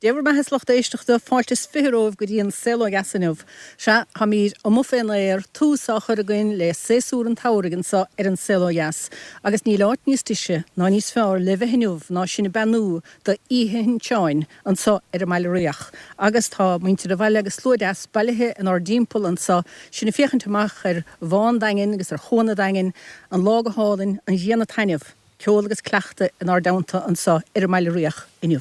Dé bhur mbeatha a lucht éisteachta, fáilte is 20 romhaibh go dtí an Saol Ó Dheas inniu. Sea, táimid amuigh fén aer, tús á chur againn le séasúr an tsamhraidh anso ar an Saol Ó Dheas, agus níl áit níos deise ná níos fearr le bheith inniu ná sinn ag beannú do Oíche Shin Seáin anso ar an mBaile Riach. Agus tá muintir an bhaile agus slua deas bailithe inár dtimpeall anso, sinn ag féachaint amach ar Bhá an Daingin agus ar Chuan an Daingin, an lá go hálainn, an ghrian ag taitneamh. Ceol agus cleachtadh inár dteannta anso ar an mBaile Riach inniu.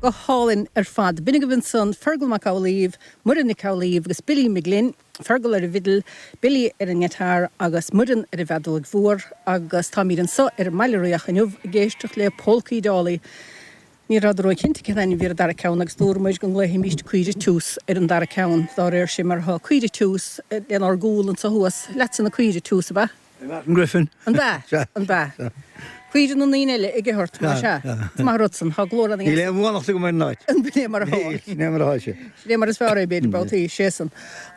Go hálainn ar fad. B'in agaibh ansan Fergal Mac Amhlaoibh, Muireann Nic Amhlaoibh agus Billy McGlynn. Fergal ar an bhfidil, Billy ar an ngiotár agus Muireann ar an bhfeadóig mhór agus táimid anso ar an mBaile Riach inniu ag éisteacht le Pólcaí Dálaí. Ní rabhadar ró-chinnte cén ainm a bhí ar an dara ceann agus dúramair go nglaofaimíst Caoire Tiús ar an dara ceann dá réir sin mar tá Caoire Tiús lenár gcúl anso thuas. Leatsa na caoire Tiús, ab ea? Martin Griffin. An b'ea? Sea. An b'ea? Caoire na ndaoine eile ag ithe ort, más ea? Is maith an rud san. Tá glór ana Níl aon bhuannacht agam ar an áit. An b'in é mar atá? Níl, sin é mar atá sé. Sin é mar is fearr é, b'fhéidir, babhtaí. Sé san.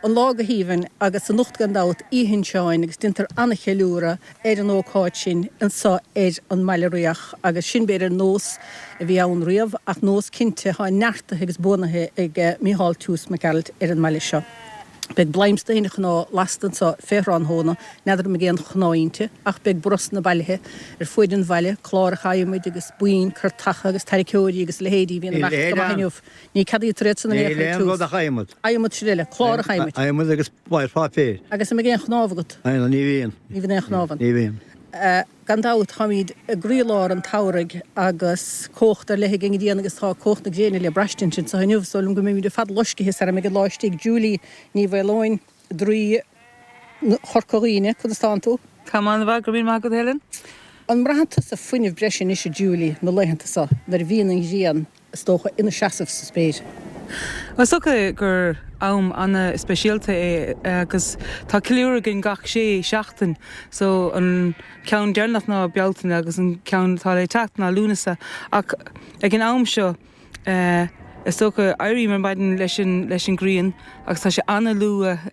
An lá go haoibhinn agus anocht gan dabht, Oíche Shin Seáin agus déantar an-cheiliúradh ar an ócáid sin anso ar an mBaile Riach agus sin b'fhéidir nós a bhí ann riamh ach nós cinnte atá neartaithe agus buanaithe ag Micheál Tiús Mac Gearailt ar an mbaile seo. Beidh bladhm de thine chná lasta anso fé thráthnóna, n'fheadar an mbeidh aon chná inti, ach beidh brosna bailithe ar fuaid an bhaile, cláracha adhmaid agus boinn curtacha agus tarraiceoirí agus a leithéidí a bhíonn Níl ag imeacht leithéid go maith ann. inniu. Ní ceadaítear iad san in aon Níl chor aon Tiús. rud ach adhmad. Adhmad sin eile, cláracha adhmaid. Adhmad agus pláir pháipéir. Agus an mbeidh aon chnámh agat? Aon, ní bhíonn. Ní bhíonn aon chnámh ann. Ní bhíonn. Gan dabht, táimid i gcroílár an tsamhraidh agus cumhacht ar leith ag an ngrian agus tá cumhacht na gréine le braistint anseo inniu. Is dóigh liom go mbeimid ar fad loiscithe sara mbeidh an lá istigh. Julie Ní Mhaoileoin, Draoi Chorca Dhuibhne, conas tánn tú? Táim an-mhaith, go raibh míle maith agat Helen. An mbraitheann tusa fuinneamh breise anois a Julie na laethanta seo nuair a bhíonn an ghrian is dócha, ina seasamh sa spéir. Is dócha gur am ana-speisialta é agus tá ceiliúradh againn gach sé seachtain so an ceann deireanach ná Bealtaine agus an ceann atá le teacht ná Lúnasa ach ag an am seo is dócha éirím ar maidin leis an leis an ghrian agus tá sé ana-luath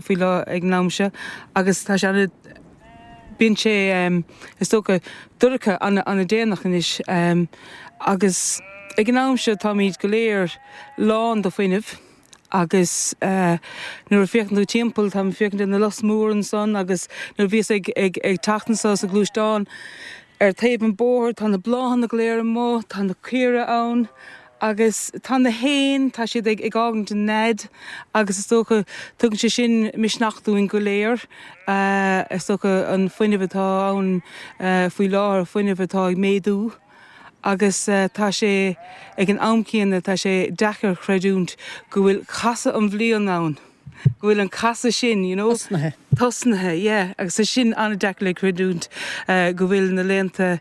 faoi lá ag an am seo agus tá sé ana Bíonn sé, is dócha, dorcha an-déanach anois agus ag an am seo táimid go léir lán de fuinneamh agus nuair a féachann tú timpeall, táim ag féachaint ar na lus mór ansan agus nuair a bhíos ag teacht anso sa ghluaisteán ar taobh an bóthair tá na bláthanna go léir amuigh, tá na caora ann. Agus tá na héin, tá siad ag ag fhágaint an nead agus is dócha tugann sé sin misneach dúinn go léir. Is dócha an fuinneamh atá ann faoi láthair, fuinneamh atá ag méadú agus tá sé ag an am céanna tá sé deacair chreidiúint go bhfuil casadh an bhliain ann. go bhfuil an casadh sin, you know. Tosnaithe. Tosnaithe, yeah. Agus tá sin an-deacair le creidiúint go bhfuil na laethanta,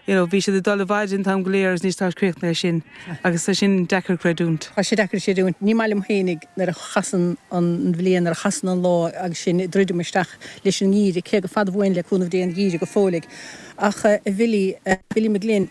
you know, bhí siad ag dul i bhfaide an t-am go léir agus anois tá críochnaithe sin. Agus tá sin deacair creidiúint. Tá sé deacair creidiúint. Ní maith liom fhéinig nuair a chasann an bhliain, nuair a chasann an lá agus sinn ag druidim isteach leis an ngeimhreadh, cé gur fada uainn le cúnamh Dé an geimhreadh go fóilligh. Ach a Bhilly, Billy Mag Fhloinn,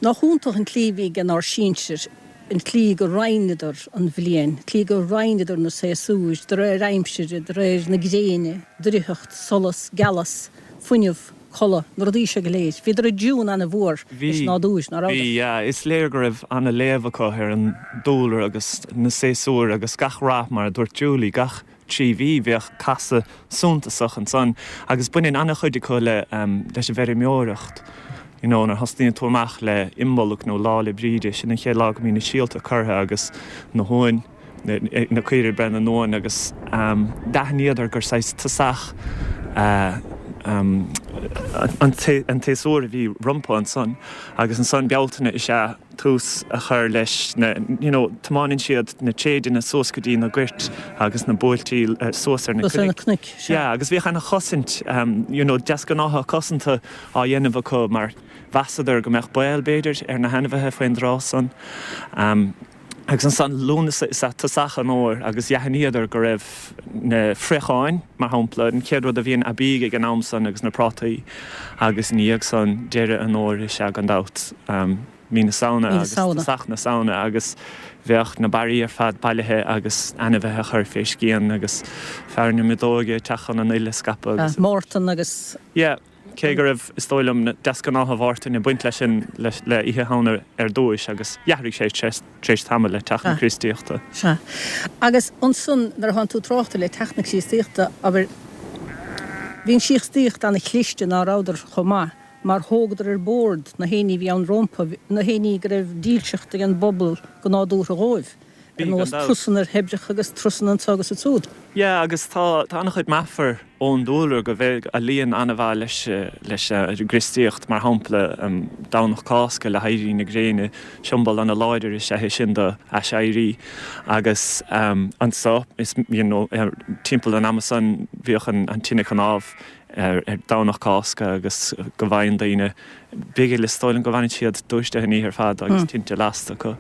Nach iontach an tslí a bhí ag ár sinsir, an tslí go roinneadar an bhliain, an tslí go roinneadar na séasúir, de réir aimsire, de réir na gréine, draíocht, solas, gealas, fuinneamh, codladh, na rudaí seo go léir. Bhíodar i dtiún ana-mhór leis an nádúr, ná rabhadar? Bhí, yeah. Is léir go raibh ana-léamh acu ar an dúlra agus na séasúir agus gach rath, mar a dúirt Julie, gach 3 mhí, bheadh casadh suntasach ansan agus baineann an-chuid acu le leis an bhfeirmeoireacht. You know, nuair a thosnaíonn tú amach le Imbolc nó Lá 'le Bríde, sin an chéad lá go mbíonn na síolta curtha agus na huain, na caoirigh ag breith na n-uan agus d'aithníodar gur saghas tosach an tséasúr a bhí rompu ansan agus ansan Bealtaine is ea tús a chur leis na, you know, tiomáineann siad na tréideanna suas go dtí na goirt agus na buailtí suas ar na Suas ar na cnoic, sea. Yeah, agus bhíodh ana-chosaint, you know, deasghnátha cosanta á dhéanamh acu mar mheasadar go mbeadh baol, b'fhéidir, ar na hainmhithe faoin dtráth san. Agus ansan Lúnasa is ea tosach an fhómhair agus d'aithníodar go raibh na fraocháin, mar shampla, an chéad rud a bhíonn aibí ag an am san agus na prátaí agus ina dhiaidh san deireadh an fhómhair is ea gan dabht mí na Samhna agus tosach na Samhna agus bheadh na barraí ar fad bailithe agus ainmhithe á chur fé scian agus fear na miotóige ag teacht chun an fhuil a scaipeadh agus. Mártan agus. Yeah. Cé go raibh, is dóigh liom, na deasghnátha Mhártain ag baint leis sin, le Oíche Shamhna ar dtúis, agus d'athraigh sé tar éis tamaill le teacht na Críostaíochta. Sea. Agus ansan, nuair atánn tú ag trácht le teacht na Críostaíochta, abair, bhí an Chríostaíocht ana-chliste, ná rabhadar chomh maith, mar thógadar ar bord na héinní a bhí ann rómpa, na héinní go raibh dílseacht ag an bpobal go nádúrtha dhóibh, ar nós trusanna ar thoibreacha agus trusanna anso agus ansúd. Yeah, agus tá, tá an-chuid meafar ón dúlra go bhfuil a luíonn an-mhaith leis, leis an gCríostaíocht, mar shampla, Domhnach Cásca le héirí na gréine, siombail an-láidir is ea é sin do aiséirí agus anso, is, you know, timpeall an ama san bhíodh an tine cnámh ar Domhnach Cásca agus go bhfaigheann daoine bigil, is dóigh liom go bhfanann siad dúisithe an oíche ar fad agus tinte lasta acu.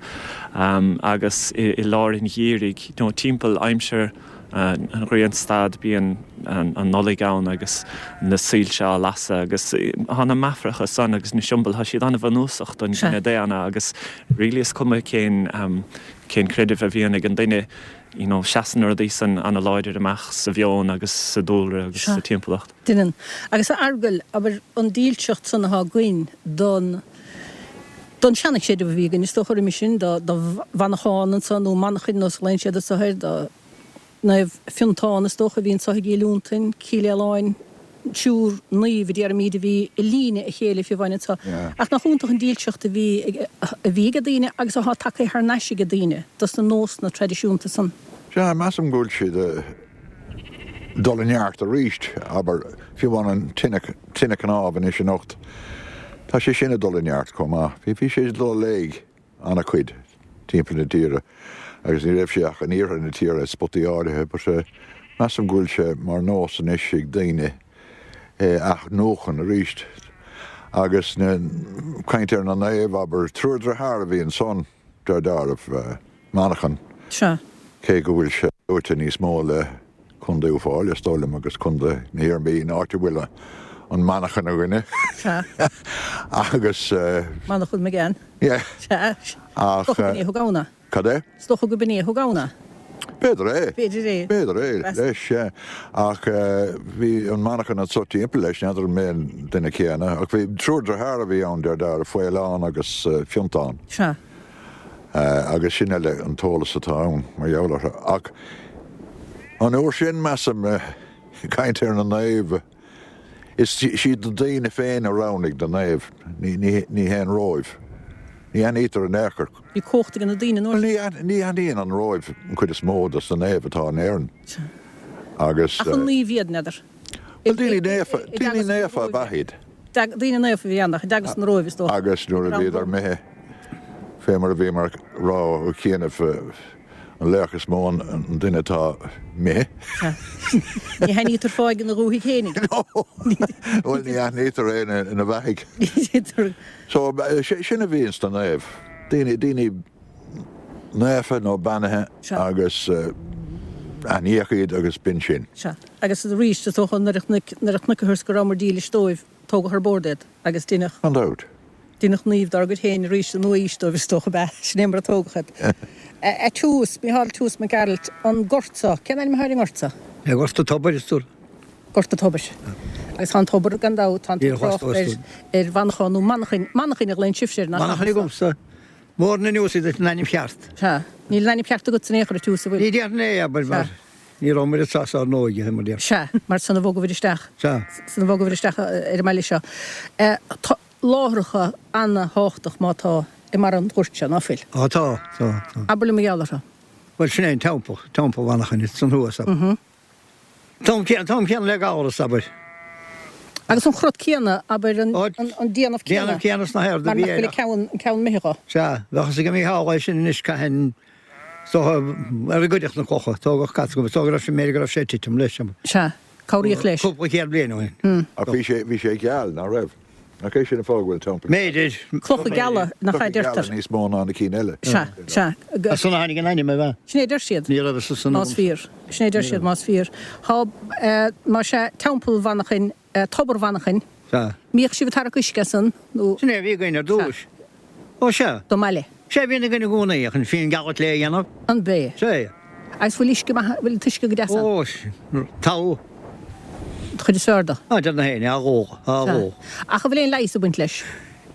Agus i lár an gheimhridh, nó timpeall aimsir an ghrianstad, bíonn an Nollaig ann agus na soilse á lasadh agus tá na meafaracha san agus na siombail, tá siad an-bhunúsach don chine daonna agus really is cuma cén cén creideamh a bhíonn ag an duine, you know, seasann na rudaí san an-láidir amach sa mheon agus sa dúlra agus sa timpeallacht. Deineann. Agus a Fheargail, abair, an dílseacht san atá againn don, don seana-chreideamh a bhí againn, is dócha roimis sin, do, do Mhanchán anso, nó Manchain nós a ghlaonn siad anso air, do Naomh Fiontán is dócha a bhí anso i gCill Fhionntain, Cill Fhaoláin, triúr naomh a déarfaimíd a bhí i líne a chéile fiú amháin anso. Ach nach iontach an dílseacht a bhí ag, a bhí ag daoine agus atá tagtha thar n-ais ag daoine dos na nósanna traidisiúnta san. Sea, measaim go bhfuil siad. dul i neart arís, abair, fiú amháin an tine, tine cnámh anois anocht, tá sé sin ag dul i neart chomh maith. Bhí, bhí sé ag dul i léig an-chuid timpeall na tíre agus ní raibh sé ach in iarthar na tíre i spotaí áirithe but measaim go bhfuil sé mar nós anois ag daoine é a athnuachan arís. Agus na, caint ar na naoimh, abair, triúr dritheár a bhí ansan, deir dealramh. Manchán, Sea. Cé go bhfuil sé luaite níos mó le Contae Uíbh Fhailí, is dóigh liom, agus Contae na hIarmhí, an áit a bhfuil an Manchán againne. Sea. Agus. Manchán Magan. Yeah. Sea. Ach. Is dócha gurb in é a thug ann é. Cad é? Is dócha gurb in é a thug ann é. B'fhéidir é. B'fhéidir é. B'fhéidir é, leis, sea. Ach bhí an Manchán anso timpeall leis, n'fheadar an mb'é an duine céanna. Ach bhí triúr dritheár a bhí ann, deir dealramh, Faolán agus Fiontán. Sea. Agus sin uile an t-eolas atá ann mar gheall orthu. Ach an uair sin, measaim, ag caint ar na naoimh, is iad na daoine féin a roghnaigh na naoimh, ní hé an Róimh. Ní aithnítear in aon chor. Bhí cumhacht ag na daoine an uair sin. Ní aithníonn an Róimh an chuid is mó dos na naoimh atá in Éirinn. Agus. Ach an naoimh iad, n'fheadar. Bhuel, daoine naofa, daoine naofa ab ea iad. Daoine naofa a bhí ann, ach i dteagasc na Róimhe, is dócha. Agus nuair a bhíodar imithe, fé mar a bhíomar ag rá ó chianaibh, an laoch is mó an duine atá imithe. Ní haithnítear fáidh ina dhúthaigh fhéinig. Bhuel, ní aithnítear é ina bheathaigh. So, sin a bhí ins na naoimh. Daoine, daoine naofa nó beannaithe agus aithníodh iad agus b'in sin. Sea. Agus arís, is dócha, nuair a chonaiceathas go rabhamar dílis dóibh, tógadh ar bord iad agus deineadh. Gan dabht. Deineadh naoimh dár gcuid féin arís sa nua-aois dóibh, is dócha, ab ea? Sin é mar a tógadh iad. A Tiús, Mícheál Tiús Mac Gearailt, an gort seo, cén ainm atá ar an ngort seo? É Gort an Tobair, is dóigh. Gort an Tobair. Agus tá an tobar, gan dabht, tá an trácht ar Mhanchán nó Manchain, Manchain a ghlaonn sibhse air, nach ea? Manchain agamsa. Mórna anuas iad an ainm cheart. Sea. Níl an ainm ceart agatsa in aon chor, a Tiús, an bhfuil? Ní déarfainn é, abair, mar ní rabhamar anseo sár n-óige, mar déarfá. Sea, mar san a bhogabhair isteach. Sea. San a bhogabhair isteach ar an mbaile seo. Tá láithreacha ana-thábhachtach má tá i mbarra an ghoirt seo, ná fuil? Á tá, tá, tá. Abair liom mar gheall orthu. Bhuel, sin é an teampall, Teampall Mhanchain, ansan thuas, abair. Tá an céanna le Gabhras, abair. Agus an crot céanna, abair, an déanamh céanna. Déanamh céanna sna hairde a bhí air. Mar nach bhfuil an ceann imithe dho. Sea, bheadh fhios ag Mícheál é sin anois cathain, is dócha, ar a goideadh na clocha, tógadh cat go, is dócha go raibh sé, mb'fhéidir go raibh sé ag titim leis. Sea, cabhraíodh leis. Cúpla céad bliain ó shin. Ach bhí sé, bhí sé geal, ná raibh? Nach é sin an fáth go bhfuil teampall. B'fhéidir. Clocha geala, nach ea a deirtear. Clocha geala níos mó ná na cinn eile. Sea, sea. As san a tháinig an ainm, ab ea? Sin é a deir siad. Ní raibh fhios san Más fíor. Sin é a deir siad, más fíor. Tá, más ea, Teampall Mhanchain, Tobar Mhanchain. Sea. Mbíodh sibh ag tarrac uisce as san, nó. Sin é a bhí againn ar dtús. Ó, sea. Don mbaile. Sea, bhíonn againn i gcónaí, ach an fíon gealach le a dhéanamh. An b'é? Sea. Agus bhfuil uisce maith, bhfuil an t-uisce go deas ann? Ó, togha. An chuid is fearr de. Á, deir na héinne, á dhó, á dhó. Ach an bhfuil aon leigheas ag baint leis?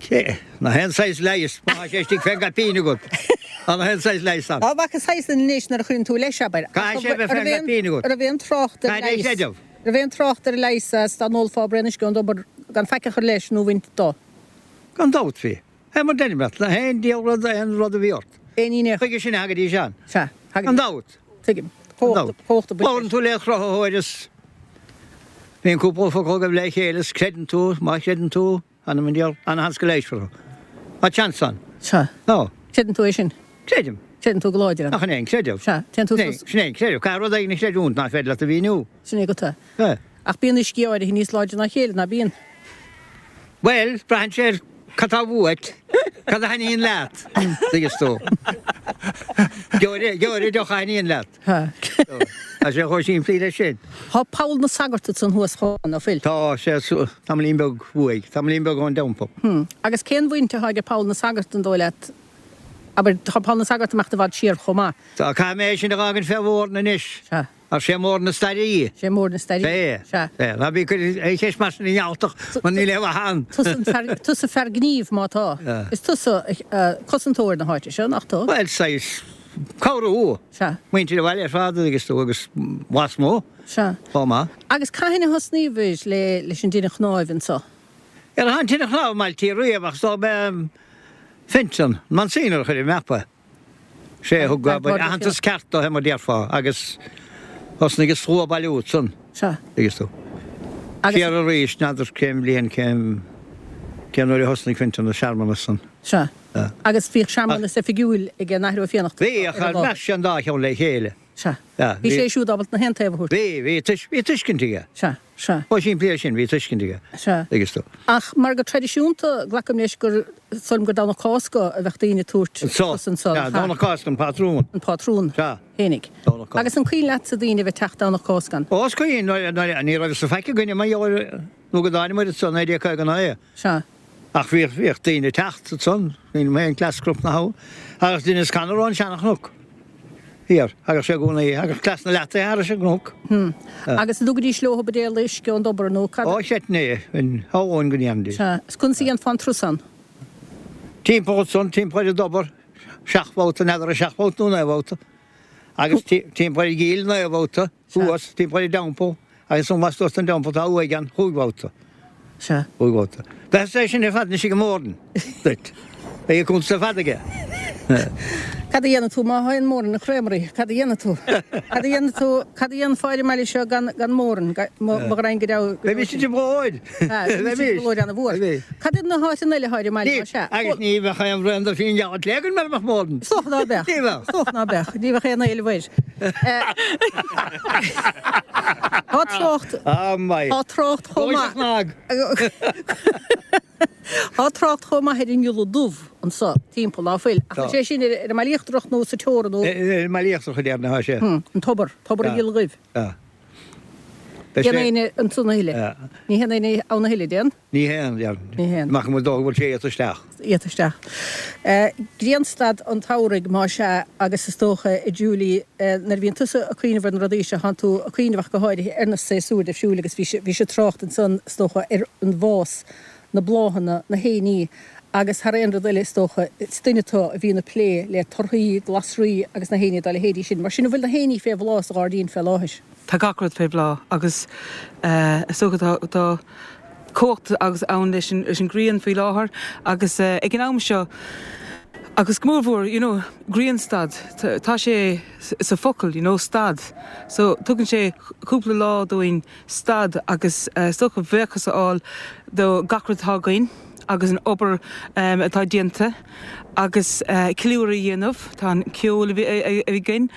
Cé, nach aon saghas leighis, má tá sé istigh fén gcaipín agat. Á, nach aon saghas leighis ann. Á, bhfaca saghas an anois nuair a chuireann tú leis, abair. Caithfidh sé a bheith fén gcaipín agat. An raibh aon trácht ar Caithfidh é a leigheas? chreideamh. Raibh aon trácht ar leigheas as dá n-ólfá braon uisce ón dtobar gan faic a chur leis nó a bhaint dó? Gan dabht bhí. Fé mar deirim leat, nach aon diabhal rud aon rud a bhí ort. Aon ní. Chuige sin a thagaidís ann. Sea, thagaidís. Gan dabht. Tuigim. Gan dabht. Cumhacht a baint leis. Labhrann tú le cruthaitheoir is bíonn cúpla focal agaibh le chéile is creideann tú, má chreideann tú, anam an diabhail, ana-sheans go leigheasfar thú. Tá seans ann. Sea. Tá. Creideann tú é sin? Creidim. Creideann tú go láidir ann. Ach an é an creideamh? Sea. Téann tú suas. Sin é an creideamh. Caithfidh rud éigin a chreidiúint nach féidir leat a mhíniú. Sin é agat é. Sea. Ach bíonn uiscí áirithe níos láidre ná a chéile, ná bíonn? Bhuel, braitheann sé ar cad tá uait, cad a thaitníonn leat, tuigeann tú. Gheobhair deoch a thaitníonn leat. Tá sé chomh simplí leis sin. Tá Poll na Sagart ansan thuas chomh maith, ná fuil? Tá sé tamaillín beag uaidh, tamaillín beag ón dteampall. Agus cén bhaint atá aige Poll na Sagart an dóigh leat? Abair, tá Poll na Sagart ag imeacht i bhfad siar chomh maith. Tá, caithfidh mé é sin a dh'fhágaint fé Mhóran anois. Sea. Ar sé mór na staire í. Sé mór na staire í. Sea. Sea. Ná bí ag cur aon cheist mar sin ar an nGealtach mar níl aon mhaith ann. Tusa an fear, tusa fear gnímh má tá. Is tusa cosantóir na háite seo, nach tú? Bhuel, saghas cabhrú. Sea. Muintir an bhaile ar fad agus tú agus lasmuigh. Sea. Chomh maith. Agus cathain a thosnaíobhair le leis an dtine chnáimh anso? Ar an tine chnámh i mBaile riamh ach is dóigh b'é Fenton, Monsignor a chuir ar an mapa. Sé a thug aitheantas ceart dó, mar déarfá, agus thosnaigh an slua ag bailiú ansan. Sea. Agus tú. Agus. Siar arís, n'fheadar cén bhliain, cén, cén uair a thosnaigh Fintan an searmanas san. Sea. Agus bhíodh searmanas oifigiúil ag an Athair Ó Fiannachta Bhí, ach ar an lá. mheasc sé an dá cheann le chéile. Sea. Sea. Bhí sé siúd ábalta na haon taobh a thabhairt. Bhí, bhí, bhí tuiscint aige. Sea. Sea. Chomh simplí leis sin, bhí tuiscint aige. Sea. Agus tú. Ach mar go traidisiúnta, glacaim leis gur, is dóigh liom gur Domhnach Cásca a bheadh daoine ag tabhairt Anso. turas anso, Sea, nach ea? Domhnach Cásca an pátrún. An pátrún. Sea. Fhéinig. Domhnach Cásca. Agus an cuimhin leatsa daoine a bheith ag teacht Domhnach Cásca ann? Ó, is cuimhin, nuair, nuair, ní raibh fhios faic againne mar gheall ar, nó go dtánamair anso, 1959. Sea. Ach bhíodh, bhíodh daoine ag teacht ansan, cuimhin liom féin cleas Cnoc na hAbha, agus Denis Connor ón Seana-Chnoc thiar, thagadh sé i gcónaí, thagadh cleas na leataithe thairis an gcnoc. Hm. Agus an dtugaidís leo buidéal uisce ón dtobar nó cad? Ó, chreidfinn é, shamhlóinn go ndéanfaidís. Sea. Is conas a dhéanfá an turas ann? Timpeall ansan, timpeall ar an dtobar, seacht mbabhta, n'fheadar an seacht mbabhta nó naoi mbabhta, agus timpeall ar an gcill naoi mbabhta. Thuas, timpeall ar an dteampall, agus ansan lastuas den dteampall tá uaigh ann, chúig bhabhta. Sea. Chúig bhabhta. Bheadh sé sin ar fad anois ag an Mhóran duit. Beidh a cuntas ar fad aige. Cad a dhéanfaidh tú má théann Moran na Creamery? Cad a dhéanfaidh tú? Cad a dhéanfaidh tú? Cad a dhéanfá ar an mbaile seo gan gan Moran? Mo ghraidhin go deo. Bheimis i bprobhlóid. Bheimis i bprobhlóid ana-mhór. Cad iad na háiteanna eile atá ar an mbaile más ea? Agus ní bheadh aon bhraon de fíon geal againn mura mbeadh Moran. Is dócha ná beadh. Ní bheadh. Is dócha ná beadh. Ní bheadh aon éileamh air. Tá trácht. Tá trácht chomh maith. Tá trácht chomh maith ar an ngiolla dubh anso timpeall, ná fuil? Ach is é sin ar an mBaile Íochtarach nó sa teorainn nó. Ar an mBaile Íochtarach a déarfainn atá sé. An tobar, tobar an ghiolla dhuibh. Théann éinne ansan a thuilleadh? Ní théann éinne ann a thuilleadh, dtéann? Ní théann, déarfainn. Ní théann. Amach go bhfuil dóigh go bhfuil sé iata isteach. Iata isteach. Grianstad an tsamhraidh, más ea, agus is dócha, a Julie, nuair a bhíonn tusa ag cuimhneamh ar na rudaí seo, tánn tú ag cuimhneamh ach go háirithe ar na séasúir difriúil agus bhí bhí sé ag trácht ansan, is dócha, ar an bhfás, na bláthanna, na héiní agus thar aon rud eile, is dócha, is duine tú a bhíonn ag plé le torthaí, glasraí agus na héiní dá leithéidí sin. Mar sin, an bhfuil na héiní fé bhláth sa ghairdín fé láthair? Tá gach rud fé bhláth agus is dócha tá tá cumhacht agus ann leis an leis an ghrian faoi láthair agus ag an am seo agus go mór mhór you know grianstad tá sé sa focal you know stad so tugann sé cúpla lá dúinn stad agus is dócha buíochas a fháil do gach rud atá againn agus an obair atá déanta agus ceiliúradh a dhéanamh. Tá an ceol againn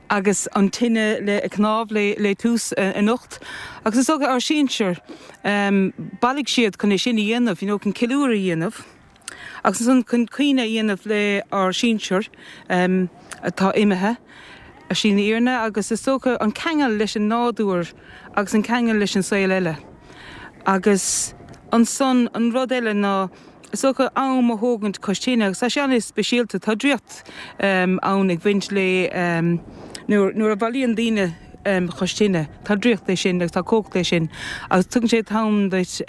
agus an tine le cnámh le tús anocht agus is dócha ár sinsir, bhailigh siad chun é sin a dhéanamh, you know, chun ceiliúradh a dhéanamh. Agus ansan chun cuimhne a dhéanamh le ár sinsir atá imithe ar shlí na fhírinne agus is dócha an ceangal leis an nádúr agus an ceangal leis an saol eile. Agus ansan an rud eile ná is dócha am a thógaint cois tine agus tá sé an-speisialta, tá draíocht ann ag baint le nuair a bhailíonn daoine cois tine, tá draíocht leis sin agus tá cumhacht leis sin agus tugann sé t-am duit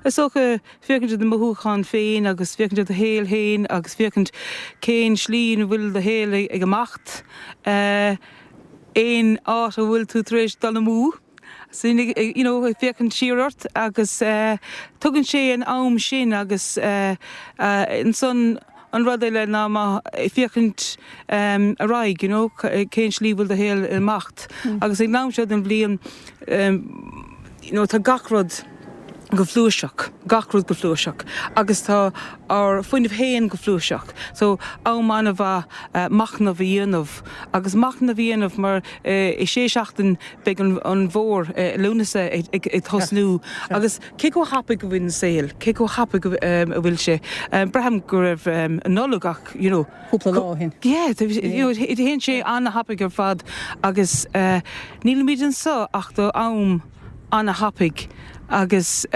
is dócha féachaint ar do mhothúcháin féin agus féachaint ar do shaol féin agus féachaint cén slí ina bhfuil do shaol ag imeacht, aon áit a bhfuil tú tar éis dul amú, sin you know ag féachaint siar ort agus tugann sé an am sin agus ansan an rud eile ná má féachaint ar aghaidh you know cén slí bhfuil do shaol ag imeacht agus ag an am seo den bhliain you know tá gach rud go flúirseach, gach rud go flúirseach agus tá ár fuinneamh féin go flúirseach. So am an-mhaith machnamh a dhéanamh agus machnamh a dhéanamh mar i sé seachtain beidh an an bhfómhar Lúnasa ag tosnú agus cé chomh thapaidh a bhfuil an saol, cé chomh thapaidh a bhfuil sé. Braithim go raibh an Nollaig ach you know cúpla lá ó shin. Yeah, you know théann sé an-thapaidh ar fad agus nílimid anseo ach do am an-thapaidh agus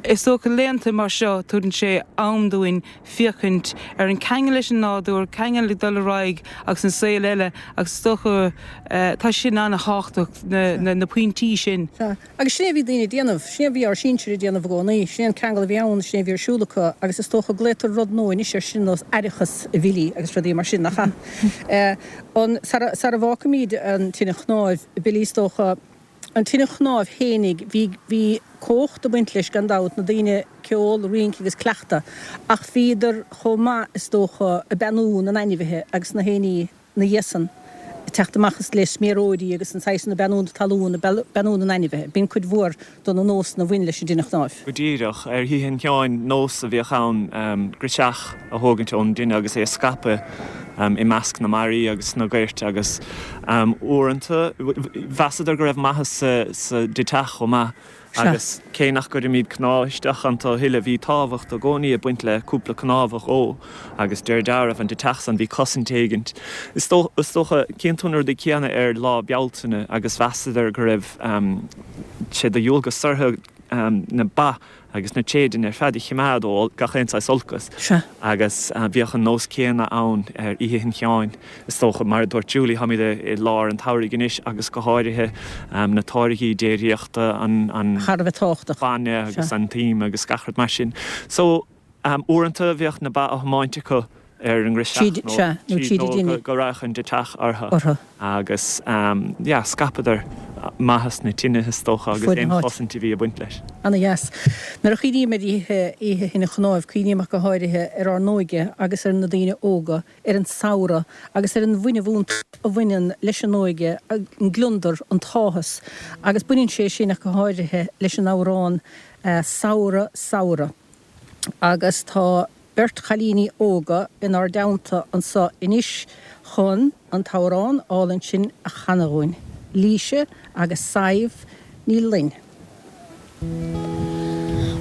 is dócha laethanta mar seo tugann sé am dúinn féachaint ar an ceangal leis an nádúr, ceangal ag dul ar aghaidh agus an saol eile agus is dócha tá sin an-thábhachtach na pointí sin. Sea, agus sin é a bhí daoine ag déanamh, sin é a bhí ár sinsir ag déanamh i gcónaí, sin é an ceangal a bhí ann, sin é a bhí ar siúl acu agus is dócha glaotar rud nua anois air sin nós aireachas a Bhilly agus rudaí mar sin, nach ea? An, sara, sara bhfágfaimid an tine chnáimh, Billy, is dócha, an tine chnáimh fhéinig, bhí, bhí cumhacht ag baint leis gan dabht, na daoine, ceol, rince agus cleachtadh, ach bhíodar chomh maith, is dócha, ag beannú na n-ainmhithe agus na héinní 'na dhiaidh san, ag teacht amach is le sméaróidí agus an saghas san ag beannú na talún, ag beannú na n-ainmhithe. B'in cuid mhór de na nósanna a bhain leis an dtine chnáimh. Go díreach. Ar Oíche Shin Sheáin, nós a bhíodh ann girseach a thógaint ón dtine agus é a scaipeadh i measc na mbarraí agus sna goirt agus uaireanta mheasadar go raibh maitheas sa deiteach chomh maith. Agus cé nach gcuirimid cnámh isteach iontu a thuilleadh, bhí tábhacht i gcónaí ag baint le cúpla cnámh a dhó, agus de réir dealraimh, an deiteach san, bhí cosaint éigint. Is dócha, cíonn tú na rudaí céanna ar Lá Bealtaine, agus mheasadar go raibh sé de dhualgas orthu na ba agus na téadain ar fad a chimeád ó gach aon saghas olcas. Agus bhíodh an nós céanna ann ar Oíche Shin Sheáin. Is dócha, mar a dúirt Julie, táimid i lár an tsamhraidh anois agus go háirithe na táirgí déiríochta, an Thar a bheith tábhachtach. bainne agus an t-im agus gach rud mar sin. So, uaireanta bhíodh na ba á thiomáint acu ar an ngirseach nó tríd nó go raghadh an deiteach orthu agus yeah, scaipeadar. maitheas na tine is dócha agus aon chosaint a bhí ag baint leis. Ana dheas. Nuair a chuimhním ar oíche, Oíche Thine Chnáimh, cuimhním ach go háirithe ar ár n-óige agus ar na daoine óga, ar an samhradh agus ar an bhfuinneamh iontach a bhaineann leis an óige, an gliondar, an t-áthas agus baineann sé sin ach go háirithe leis an amhrán 'Samhradh, Samhradh' agus tá beirt chailíní óga inár dteannta anso anois chun an t-amhrán álainn sin a chanadh dhúinn, Laoise agus Sadhbh Ní Fhloinn.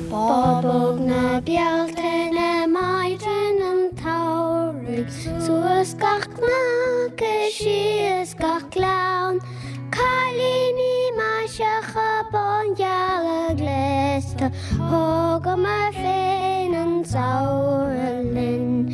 Bábóg na Bealtaine, maidin an tsamhraidh, suas gach cnoc is síos gach gleann, cailíní maiseacha bángeala gléasta, Thógamar féin an samhradh linn.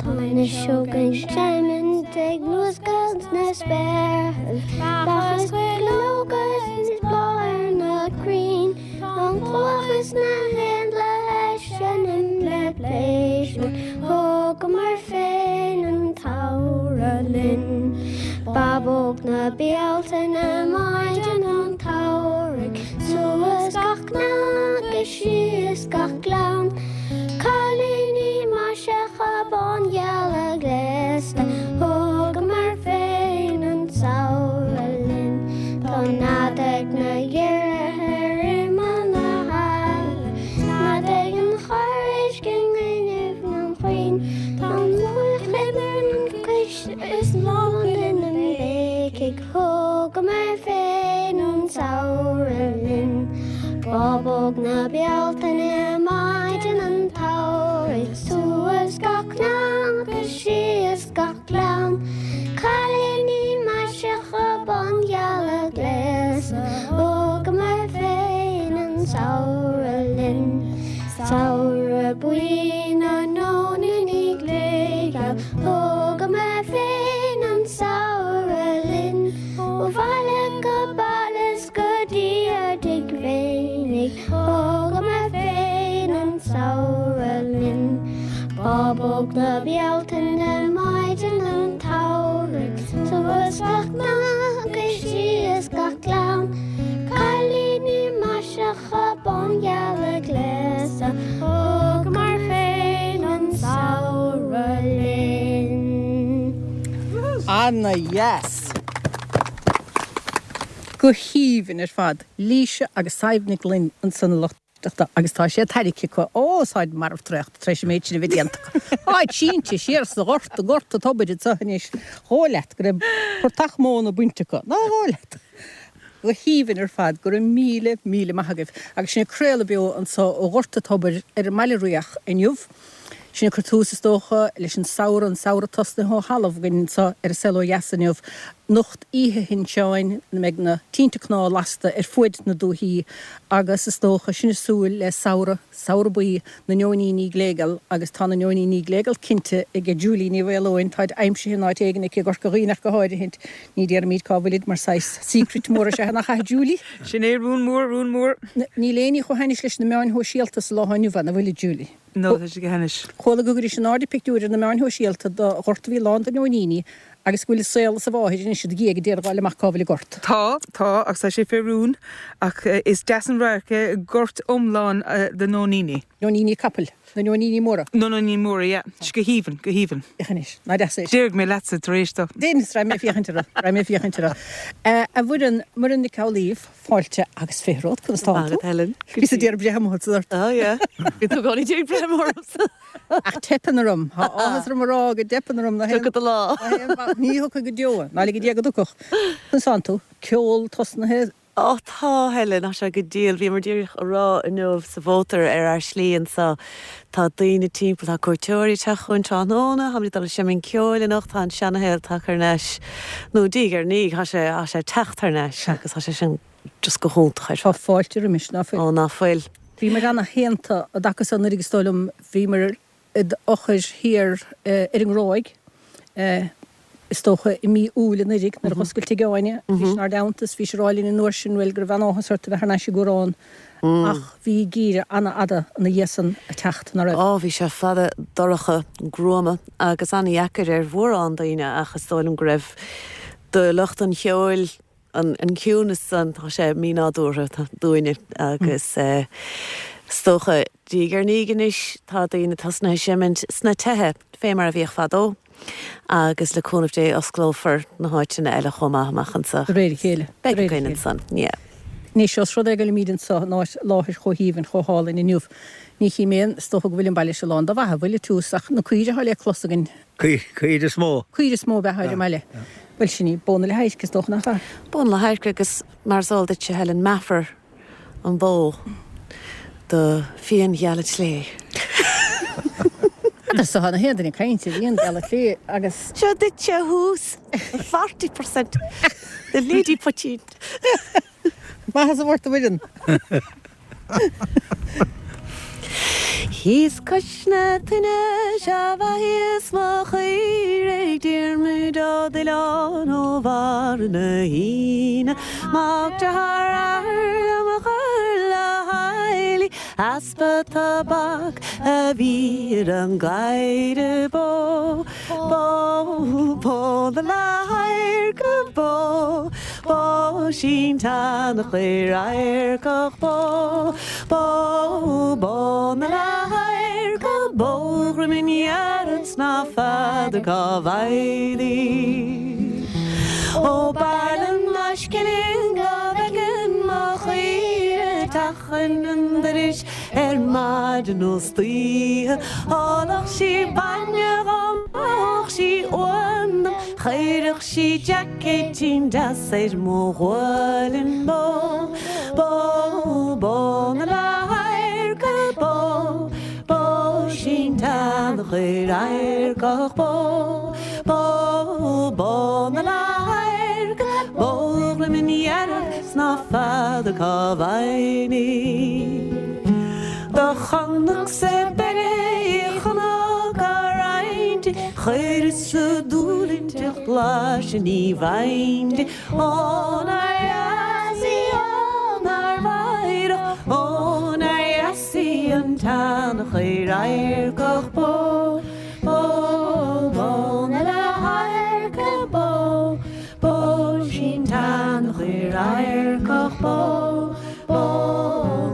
Tá na sióga ag seimint ag luascadh sna spéartha, beacha is cuileoga is bláth ar na crainn, Tá an chuach is na héanlaithe ag seinm le pléisiúr, Thógamar féin an tsamhradh linn. Bábóg na Bealtaine, maidin an tsamhraidh, suas gach cnoc is síos gach gleann, Cailíní maiseacha bángeala gléasta, Thógamar féin an samhradh linn. Tá nead ag na giorraithe ar imeall na haille, Nead ag an chorr-éisc i ngaineamh an chrainn, Tá an luach ar an gcois is lán de na béicigh. Thógamar féin an samhradh linn. Bábóg na Bealtaine, maidin an tsamhraidh, suas gach cnoc is síos gach gleann, cailíní maiseacha bángeala gléasta, thógamar féin an samhradh linn. Samhradh buí na nóiníní gléigeal, thógamar féin an samhradh linn. Ó bhaile go baile 's go dtí ár dtigh féinig, thógamar féin an samhradh linn. Bábóg na Bealtaine, maidin an tsamhraidh, suas gach cnoc is síos gach gleann, cailíní maiseacha bángeala gléasta, thógamar féin an samhradh linn. Ana dheas. Go haoibhinn ar fad. Laoise agus Sadhbh Nic Fhloinn ansan a lucht éisteachta agus tá sé tarraicthe acu. Ó, táid marbh traochta tar éis an méid sin a bheith déanta acu. Táid sínte siar sa ghort, i nGort an Tobair anso anois. Dhóigh leat go raibh portach móna bainte acu. Nár dhóigh leat? Go haoibhinn ar fad. Go raibh míle, míle maith agaibh. Agus sinn ag craoladh beo anso ó Ghort an Tobair ar an mBaile Riach inniu. Sinn ag cur tús, is dócha, leis an samhradh, an samhradh tosnaithe ó thalamh againn anso ar an Saol Ó Dheas inniu. Anocht Oíche Shin Seáin, ina mbeidh na tinte cnámh lasta ar fuaid na dúichí agus, is dócha, sinn ag súil le samhradh, samhradh buí na neoiníní gléigeal agus tá na neoiníní gléigeal cinnte aige Julie Ní Mhaoileoin, táid aimsithe in áit éigin aici i gCorca Dhuibhne ach go háirithint. Ní déarfaimid cá bhfuilid mar saghas secret mór is ea é, nach ea Julie? Sin é, rún mór, rún mór. Níl éinní chomh hainnis leis na meáin shóisialta sa lá inniu an bhfuil, a Julie? No, tá sé go hainnis. Chuala go gcuiris in airde pictiúir ar na meáin shóisialta do ghort a bhí lán de neoiníní agus go bhfuil a saol is a mháthair anois id dhiaidh ag iarraidh fháil amach cá bhfuil an gort. Tá, tá, agus tá sé fé rún, ach is deas an radharc é gort iomlán de nóiníní. Nóiníní capaill. Na neoiníní móra. Na neoiníní móra, yeah. Is go haoibhinn, go haoibhinn. Féach anois, ná deas é. Déarfaidh mé leatsa tar éis dó. Déan, raghaidh mé féachaint orthu, raghaidh mé féachaint orthu. A Mhuireann, Muireann Nic Amhlaoibh, fáilte agus fithe romhat, conas tánn tú? Maith agat, Helen. Bhíos ag iarraidh breith amuigh ort. Oh yeah. Bhí tú i gcónaí ag iarraidh breith amuigh ormsa. Ach teipeann orm. Tá áthas orm a rá go dteipeann orm. Tiocfaidh do lá. Ní thiocfaidh go deo, ná lige Dia go dtiocfadh. Conas tánn tú? Ceol tosnaithe? Ó tá, Helen, tá sé go diail. Bhíomar díreach a rá inniu sa mhótar ar ár slí anso, tá daoine timpeall, tá cuairteoirí ag teacht chugainn tráthnóna, táimid ag dul ag seimint ceoil anocht, tá an seanashaol tagtha thar n-ais, nó diaidh ar ndiaidh, tá sé, tá sé ag teacht thar n-ais agus tá sé sin just go hiontach ar fad. Tá fáilte roimis, ná fuil? Ó, ná fuil. Bhíomar ana-shaonta i dtaca so anuraidh is dóigh liom, bhíomar id fhochair thiar ar an nGráig, is dócha i mí Iúil anuraidh nuair a dh'oscail Tigh Áine. Bhís inár dteannta is bhís ag rá linn an uair sin, bhuel, go raibh an-áthas ort a bheith thar n-ais i gCuarán. Ach bhí geimhreadh an-fhada ina dhiaidh san ag teacht, ná raibh? Á, bhí sé fada, dorcha, gruama agus an-dheacair ar mhórán daoine ach is dóigh liom go raibh do lucht an cheoil. An ciúnas san, tá sé mínádúrtha dúinne agus is dócha, diaidh ar ndiaidh anois, tá daoine tosnaithe ag seimint sna tithe, fé mar a bhíodh fadó, agus le cúnamh Dé osclófar na háiteanna eile chomh maith amach anso. De réir a chéile. Beidh againn ansan, yeah. Anois, os rud é go bhfuilimíd anso in áit, láthair chomh haoibhinn, chomh hálainn inniu, ní chím aon, is dócha go bhfuil an baile seo lán de bheatha, bhfuil, a Tiús, ach na caoirigh atá le clos againn. Caoirigh is mó. Caoirigh is mó ab ea ar an mbaile. Bhuel, sin í, bó na leath-adhairce, is dócha, nach ea? Bó na leath-adhairce agus mar is eol duitse, Helen, meafar an bhó do fíonghealach Slé. Agus tá na haon duine ag caint ar fhíonghealach Slé agus. Seo duitse thuas, 40% de Lady Poitín. Maith as a bhfort a Mhuireann. Thíos cois na toinne sea bheathaíos mo chaoirigh Diarmuid Ó Duilleáin ó bharr na hAoine Mac dearthár athar liom a chur le heilí Easpa tobac a bhí ar an gcaora bó. Bó, bó na leath-adharca bó, bó 'sí an tseanchaor adharcach bó, bó, bó na leath-adharca bó, dhroim dhearg 's ná feadar cá bhfaighinn í. Ó b'fhearr liom ná scilling go bhfeicfinn mo chaoire ag teacht chun an dorais Ar maidin nó istoíche Ólfadh sí bainne dhom Ithfeadh sí uan dom Chuirfeadh sí jaicéitín deas ar mo ghualainn Bó, bó, bó na leath-adharca bó, bó 'sí an tseanchaor adharcach bó, bó, bó na leath-adharca bó dhroim dhearg 's ná feadar cá bhfaighinn í. Do chonacsa beirthe í chonac á roinnt di, Chuireas-sa dúil inti ach blaiseadh ní bhfaighinn di. Ó nár dheas í, ó nár mheidhreach, ó nár dheas í an tseanchaor adharcach bó, bó, bó na leath-adharca bó. Bó 'sí an tseanchaor adharcach bó, bó,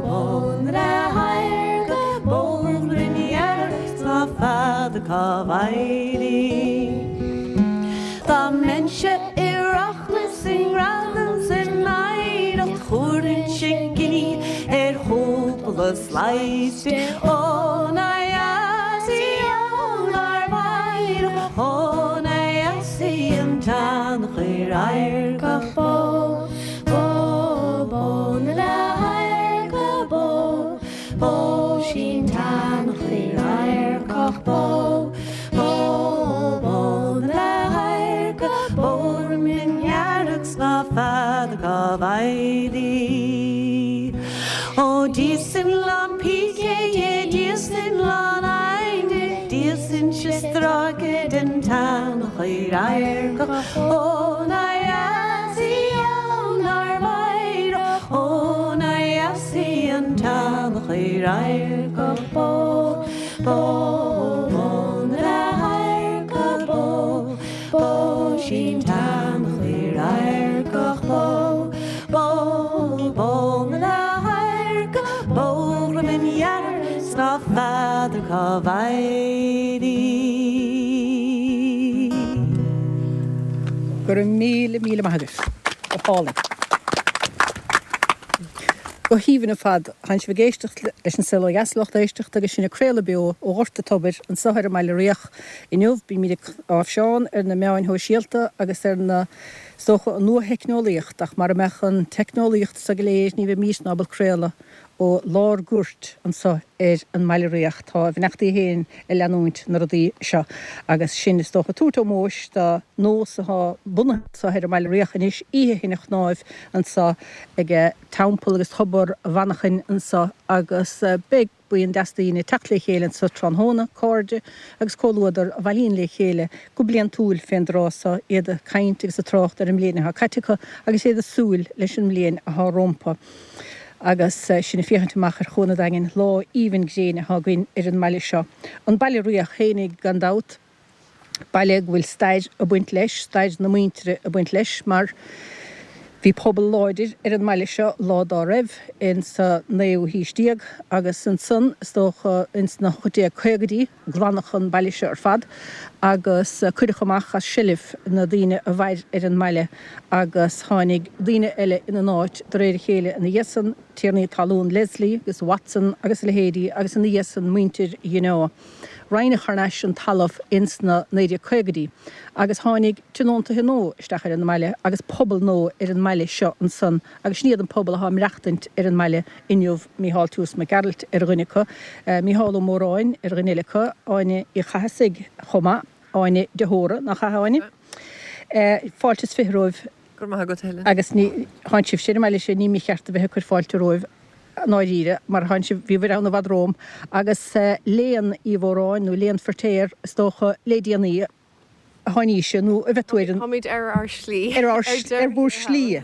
bó na leath-adharca bó dhroim dhearg 's ná feadar cá bhfaighinn í. Dá mbeinnse i rachmas i ngradam 's i n-oidhreacht thabharfainnse giní ar chúpla slice di. Ó nár dheas í, ó nár mheidhreach, ó nár dheas í an tseanchaor adharcach bó, bó, bó na leath-adharca bó, bó 'sí an tseanchaor adharcach bó, bó, bó na leath-adharca bó dhroim dhearg 's ná feadar cá bhfaighinn í. Ó d'íosfainn lán píce di, d'íosfainn lán oighinn di, D'íosfainnse stráice den tseanchaor adharcach Ó nár dheas í, ó nár mheidhreach, ó nár dheas í an tseanchaor adharcach Bó, bó, bó na leath-adharca bó, bó 'sí an tseanchaor adharcach Bó, bó, bó na leath-adharca bó dhroim dhearg 's ná feadar cá bhfaighinn í. Go raibh míle, míle maith agaibh. Go hálainn. Go haoibhinn ar fad. Tánn sibh ag éisteacht leis An Saol Ó Dheas, lucht éisteachta, agus sinn ag craoladh beo ó Ghort an Tobair anseo ar an mBaile Riach inniu. Bímid ag áibhseán ar na meáin shóisialta agus ar na, is dócha, an nua-theicneolaíocht, ach mara mbeadh an teicneolaíocht seo go léir ní bheimísne ábalta craoladh ó lár goirt anso ar an mBaile Riach. Tá a bheannachtaí féin ag leanúint na rudaí seo agus sinn, is dócha, ag tabhairt ómóis do nós atá bunaithe anso ar an mBaile Riach anois, Oíche Thine Chnáimh anso ag Teampall agus Tobar Mhanchain anso agus beidh buíon deas daoine ag teacht le chéile anso tráthnóna, cairde agus comhluadar a bhailíonn le chéile go bliantúil fén dtráth so, iad ag caint agus ag trácht ar an mbliain atá caite acu agus iad ag súil leis an mbliain atá rompu. Agus sinn ag féachaint amach ar Chuan an Daingin, lá aoibhinn gréine atá againn ar an mbaile seo. An Baile Riach fhéinig gan dabht, baile go bhfuil stair ag baint leis, stair na muintire ag baint leis, mar. Bhí pobal láidir ar an mbaile seo lá dá raibh, ins sa naoú haois déag, agus ansan, is dócha, ins na 1850idí, glanadh an baile seo ar fad agus cuireadh amach as seilbh na daoine a mhair ar an mbaile agus tháinig daoine eile ina n-áit de réir a chéile ina dhiaidh san, tiarnaí talún Leslie agus Watson agus a leithéidí agus ina dhiaidh san muintir Dheneo. Roinneadh thar n-ais an talamh ins na 1950idí agus tháinig tionóntaithe nua isteach ar an mbaile agus pobal nua ar an mbaile seo ansan agus sin iad an pobal athá ag maireachtaint ar an mbaile inniu, Mícheál Toose Mac Gearailt ar dhuine acu, Mícheál Ó Móráin ar dhuine eile acu, Áine Uí Chathasaigh chomh maith, Áine de hÓra, nach ea, a Áine? Fáilte is 20 romhaibh. Go raibh maith agat, Helen. Agus ní, thánn sibhse ar an mbaile sin, ní mícheart a bheith ag cur fáilte romhaibh i ndáiríre, mar thánn sibh, bhíobhair ann i bhfad romham. Agus Léan Uí Mhóráin, nó Léan Feirtéar, is dócha, le déanaí a tháinís, nó a bheith tú ar an. Táimid ar ár slí. Ar ár, ar bhur slí.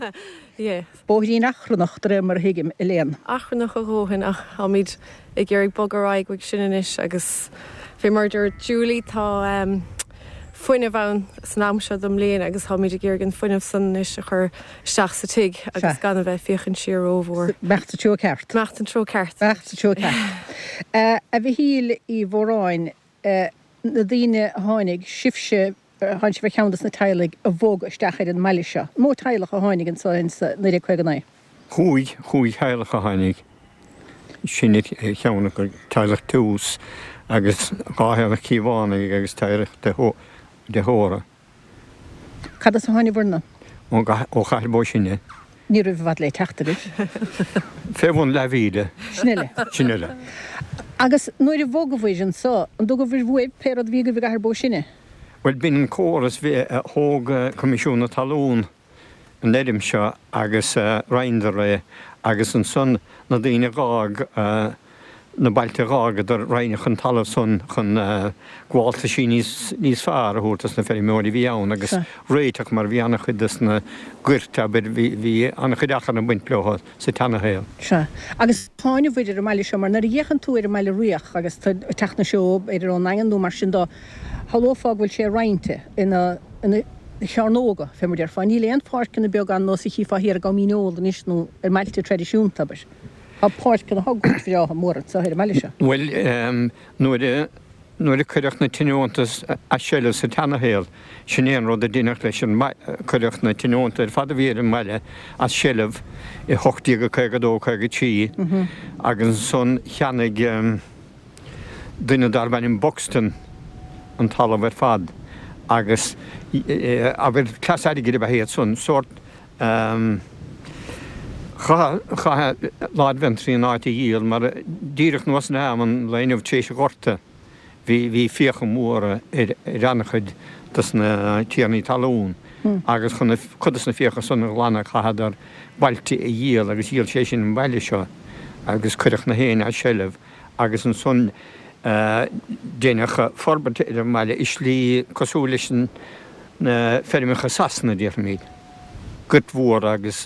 Yes. Bóithrín achrannach, de réir mar a thuigim, a Léan. Achrannach a dhóthain, ach táimid ag iarraidh bogadh ar aghaidh uaidh sin anois agus fé mar a dúirt Julie, tá fuinneamh ann san am seo den mbliain agus táimid ag iarraidh an fuinneamh san anois a chur isteach sa tigh agus gan a bheith ag féachaint siar rómhór. Imeacht sa treo ceart. Imeacht an treo ceart. Imeacht sa treo ceart. A Mhichíl Uí Mhóráin, na daoine a tháinig, sibhse, Thánn sibh ar cheann dos na teaghlaigh a bhog isteach ar an mbaile seo. An mó teaghlach a tháinig anso ins 1959? Chúig, chúig theaghlach a tháinig. Sin ar cheann acu, teaghlach Toose agus dhá theaghlach Cíobhánaigh agus teaghlach de hÓra. Cad as a tháinibhir-na? Ó Chathair Bó Sine. Ní raibh i bhfad le teacht agaibh. Fé bhun leathmhíle. Sin uile. Sin uile. Agus nuair a bhogabhair anso, an dtugabhair uaibh pé rud a bhí agaibh i gCathair Bó Sine? Bhuel, b'in an córas, bhí, thóg Coimisiún na Talún an fheirm seo agus roinneadar é agus ansan na daoine a dh'fhág na bailte a dh'fhágadar roinneadh an talamh san chun gabháltaisí níos níos fearr a thabhairt dos na feirmeoirí a bhí ann agus réiteach mar bhí an-chuid dos na goirt abair bhí bhí an-chuid achrann ag baint leo sa tseanashaol. Sea. Agus tháinibhir ar an mbaile seo mar nuair a fhéachann tú ar an mbaile Riach agus tú ag teacht na seó b'fhéidir ón nDaingean nó mar sin dó, shamhlófá go bhfuil sé roinnte ina ina chearnóga, fé mar déarfá. Níl aon pháirceanna beaga ann nós a chífeá thiar i gCom Dhíneol anois nó ar mbailte traidisiúnta, abair. Tá páirceanna, tá goirt bhreátha móra anseo ar an mbaile seo. Bhuel, nuair a, nuair a cuireadh na tionónta as seilbh sa tseanashaol, sin é an rud a deineadh leis an mbaile, cuireadh na tionónta ar fad a bhí ar an mbaile as seilbh i 1852, 53 agus ansan cheannaigh duine darb ainm Buxton an talamh ar fad agus, abair, cleas airgid ab ea iad san, sórt, Chaithfeadh Lord Ventry an áit a dhíol mar díreach anuas in am an lae inniu tar éis an Ghorta bhí bhí fiacha móra ar ar an-chuid dos na tiarnaí talún agus chun cuid dos na fiacha san a ghlanadh chaitheadar bailte a dhíol agus dhíol sé sin an baile seo agus cuireadh na héinne as seilbh agus ansan deineadh forbairt ar an mbaile i slí cosúil leis na feirmeacha Sasana déarfaimid. Goirt mhór agus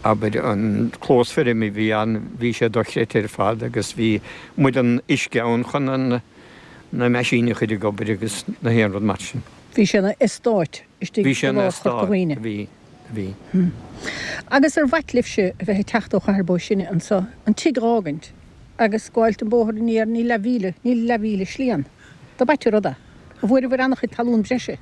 abair an clós feirme a bhí ann bhí sé dochreidte ar fad agus bhí muileann uisce ann chun an na meaisíní a chur ag obair agus na haon rud mar sin. Bhí sé ina eastát istigh Bhí sé i ina lár Chorca eastát, Dhuibhne. bhí, bhí. Agus ar mhait libhse a bheith ag teacht ó Chathair Bó Sine anso, an tigh dh'fhágaint agus gabháilt an bóthar aniar, níl leathmhíle, níl leathmhíle slí ann. Dob ait an rud é. An bhfuaireabhair an-chuid talún breise?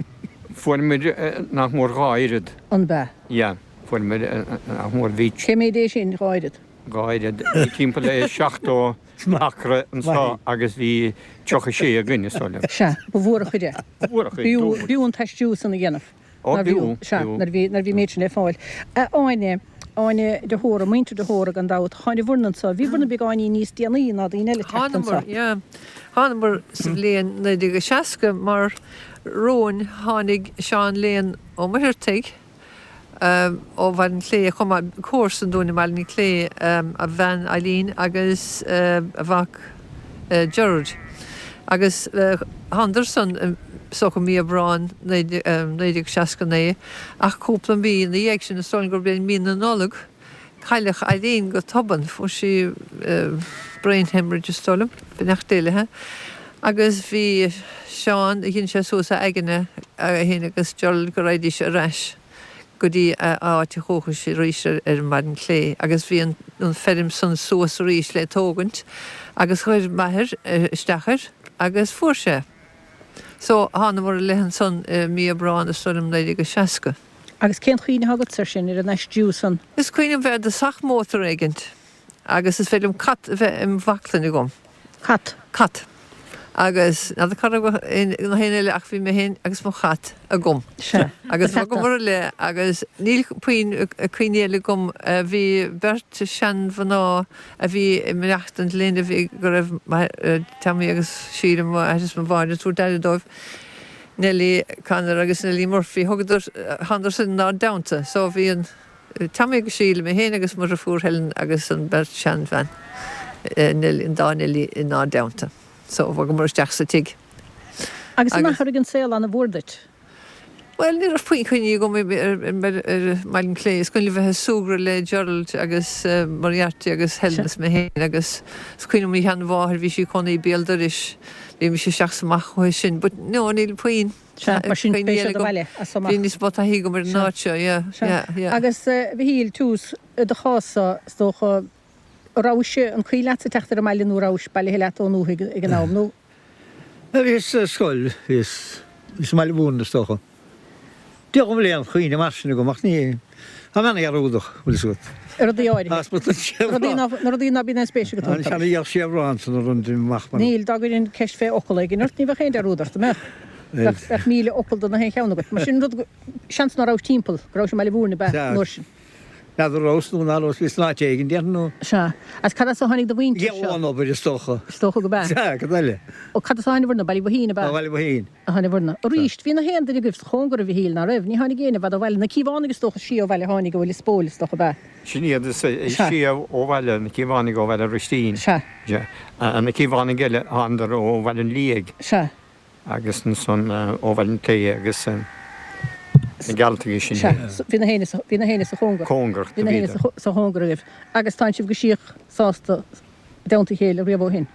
Fuair muid nach mór dhá oiread. An b'ea? Yeah, fuair muid nach mór, bhí. Cé méid é sin, dhá oiread? Dhá oiread. Bhí timpeall le 70 acra anso agus bhí 36 againn, is dóigh liom. Sea, ba mhór an chuid é. Ba mhór an chuid, B'fhiú, b'fhiú an t-aistriú san a dhéanamh. Ó, b'fhiú, Sea, b'fhiú. nuair a bhí, nuair a bhí an méid sin le fáil. A Áine, Áine de hÓra, muintir de hÓra gan dabht, tháinibhir-na anso, bhíobhair-na beagáinín níos déanaí ná daoine eile teacht anso. Thánamar, yeah. Thánamar sa bhliain 1960 mar romhainn tháinig Seán Léan Ó Muircheartaigh ó Bhaile an Chlé chomh maith, comharsan dúinn i mBaile an Chlé, a bhean Eileen agus a mhac Gerard. Agus thánadar san is dócha mí Aibreáin 1969 ach cúpla mí ina dhiaidh sin, is dóigh liom gurb é mí na Nollag, cailleadh Eileen go tobann, fuair sí brain hemorrhage is dóigh liom, beannacht Dé léithe. Agus bhí Seán, dhein sé suas a aigne, é féin agus Gerald go raghaidís ar ais. go dtí a áit dhúchais arís ar an mBaile an Chlé agus bhí an feirm san suas arís le tógaint agus chuir m'athair isteach air agus fuair sé. So thánamar i leith ansan i mí Aibreán is dóigh liom 1960. Agus cén chuimhne atá agatsa ar sin, ar an aistriú san? Is cuimhin liom bheith i dtosach mótar éigint agus is féidir liom cat a bheith im bhaclainn agam. Cat. Cat. Agus n'fheadar cá raibh na héinne eile ach bhí mé féin agus mo chat agam. Sea. Agus bhogamar i leith agus níl puinn cuimhní eile agam. Bhí beirt seanmhná a bhí ag maireachtaint linn a bhí go raibh Tommy agus Síle, m'athair is mo mháthair ag tabhairt aire dóibh, Nellie Connor agus Nellie Murphy. Thugadar, thánadar san inár dteannta. So bhí an. Tommy agus Síle, mé féin agus mo dhriofúr Helen agus an bheirt seanbhean, Nellie, an dá Nellie inár dteannta. So, bhogamar isteach sa tigh. Agus an athraigh an saol ana-mhór duit? Bhuel, ní raibh puinn cuimhní agam ar Bhaile an Chlé. Is cuimhin liom bheith ag súgradh le Gerald agus Moriarty agus Helen is mé féin agus is cuimhin liom mo sheanmháthair, bhí sí ag cónaí béal dorais, bhímis isteach is amach chuici sin. But no, níl puinn. Sea, mar sin b'é seo do bhaile as so amach. Bhí níos mó taithí agam ar an áit seo, yeah, yeah, yeah. Agus a Mhichíl, tús i do chás-sa, is dócha, an rabhais, an cuimhin leatsa teacht ar an mbaile nó an rabhais bailithe leat ón ndúthaigh ag an am, nó? Bhíos ar scoil, bhíos, bhíos i mBaile Mhúirne is dócha. Ní bhfuil aon chuimhne mar sin agam ach ní, tá mé ana-dhearúdach, bhfuil fhios agat. Ar rudaí áirithe. As mo Rudaí ná, na rudaí ná bíonn aon spéis agat iontu. An seana seabhrán san a rinn amach mar. Níl, dá gcuirfinn ceist fé fhocal éigin ort, ní bheadh aon dearúd ort, an mbeadh? Bheadh, bheadh 1,000 fhocal do na haon cheann agat. Mar sin rud, seans ná rabhais timpeall, go rabhais i mBaile Mhúirne, ab ea, an uair sin? N'fheadar rabhas nó ná rabhas, bhíos in áit éigin, déarfainn, nó. Sea. Agus cad as a tháinig do mhuintir seo? Ón obair, is dócha. Is dócha go b'ea. Sea, cad eile? Ó, cad as a tháinig bhur, Baile Mhaoithín, ab ea? Ó Bhaile Mhaoithín. a tháinig bhur Arís, bhí na haon duine agaibh sa chóngar, a Mhichíl, ná raibh? Ní tháinig éinne i bhfad ó bhaile. Na Cíobhánaigh is dócha is sia ó bhaile a tháinig ó Lios Póil, is dócha, ab ea? Sin iad is sia ó bhaile, na Cíobhánaigh ó Bhaile Roistín. Sea. Sea. Na Cíobhánaigh eile, thánadar ó Bhaile an Liaigh. Sea. Agus ansan ó Bhaile an Chlé agus na Gealtaigh sin iad. Sea. Bhí na héinne sa, bhí na héinne sa chóngar. Cóngarach do bhíodar. Bhí na héinne sa chóngar agaibh. Agus tánn sibh go síoch sásta i dteannta a chéile riamh ó shin.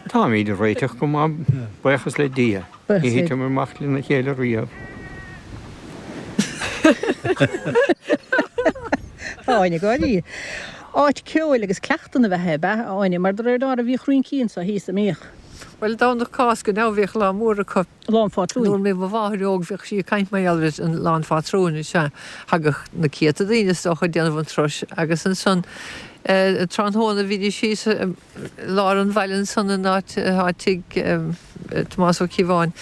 Táimid ag réiteach go maith, buíochas le Dia. Ní thiteamar amach lena chéile riamh. Tá Áine ag gáirí. Áit ceoil agus cleachtann ab ea é, ab ea, a Áine? Mar de réir dealraimh bhíodh rincí anso thíos, an mbíodh? Bhuel, Domhnach Cásca now bhíodh lá mór acu. Lá an Phátrúin. Nuair a bhí mo mháthair óg bhíodh sí ag caint mar gheall ar an Lá an Phátrúin, is ea, thagadh na céadta daoine is dócha ag déanamh an turais agus ansan tráthnóna bhídís thíos i lár an bhaile ansan in áit atá tigh Tomás Ó Cíobháin.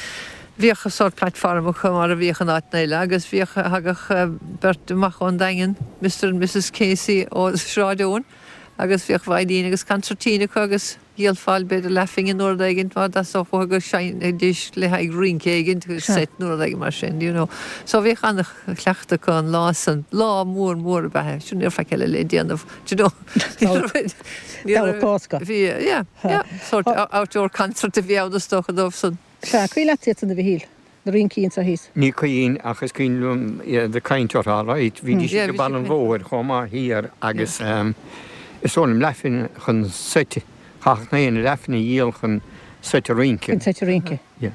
Bhíodh sórt platform acu mar a bhíodh in áiteanna eile agus bhíodh, thagadh beirt amach ón Daingean, Mister and Missus Casey ó Sráid Eoin agus bhíodh veidhlín agus concertina acu agus. Dhíolfá b'fhéidir leathphingin nó rud éigin má theastódh uathu go seinnfidís le haghaidh rince éigin, seit nó rud éigin mar sin, you know. So bhíodh an-chleachtadh acu an lá san. Lá mór mór ab ea é. Sin ní raibh faic eile le déanamh, do you know. Ní raibh, Cásca. Bhí, yeah, yeah, sort outdoor concert a bhí ann is dócha dóibh san. Sea, cuimhin leat iad san a Mhichíl, na rincí anso thíos. Ní cuimhin ach is cuimhin liom iad ag caint orthu alright. Bhídís ag barr an bhóthair chomh maith thiar agus is dóigh liom leathphingin chun seit, chaithfeadh na héinne leathphingin a dhíol chun seit a rince. Chun seit a rince. Yeah.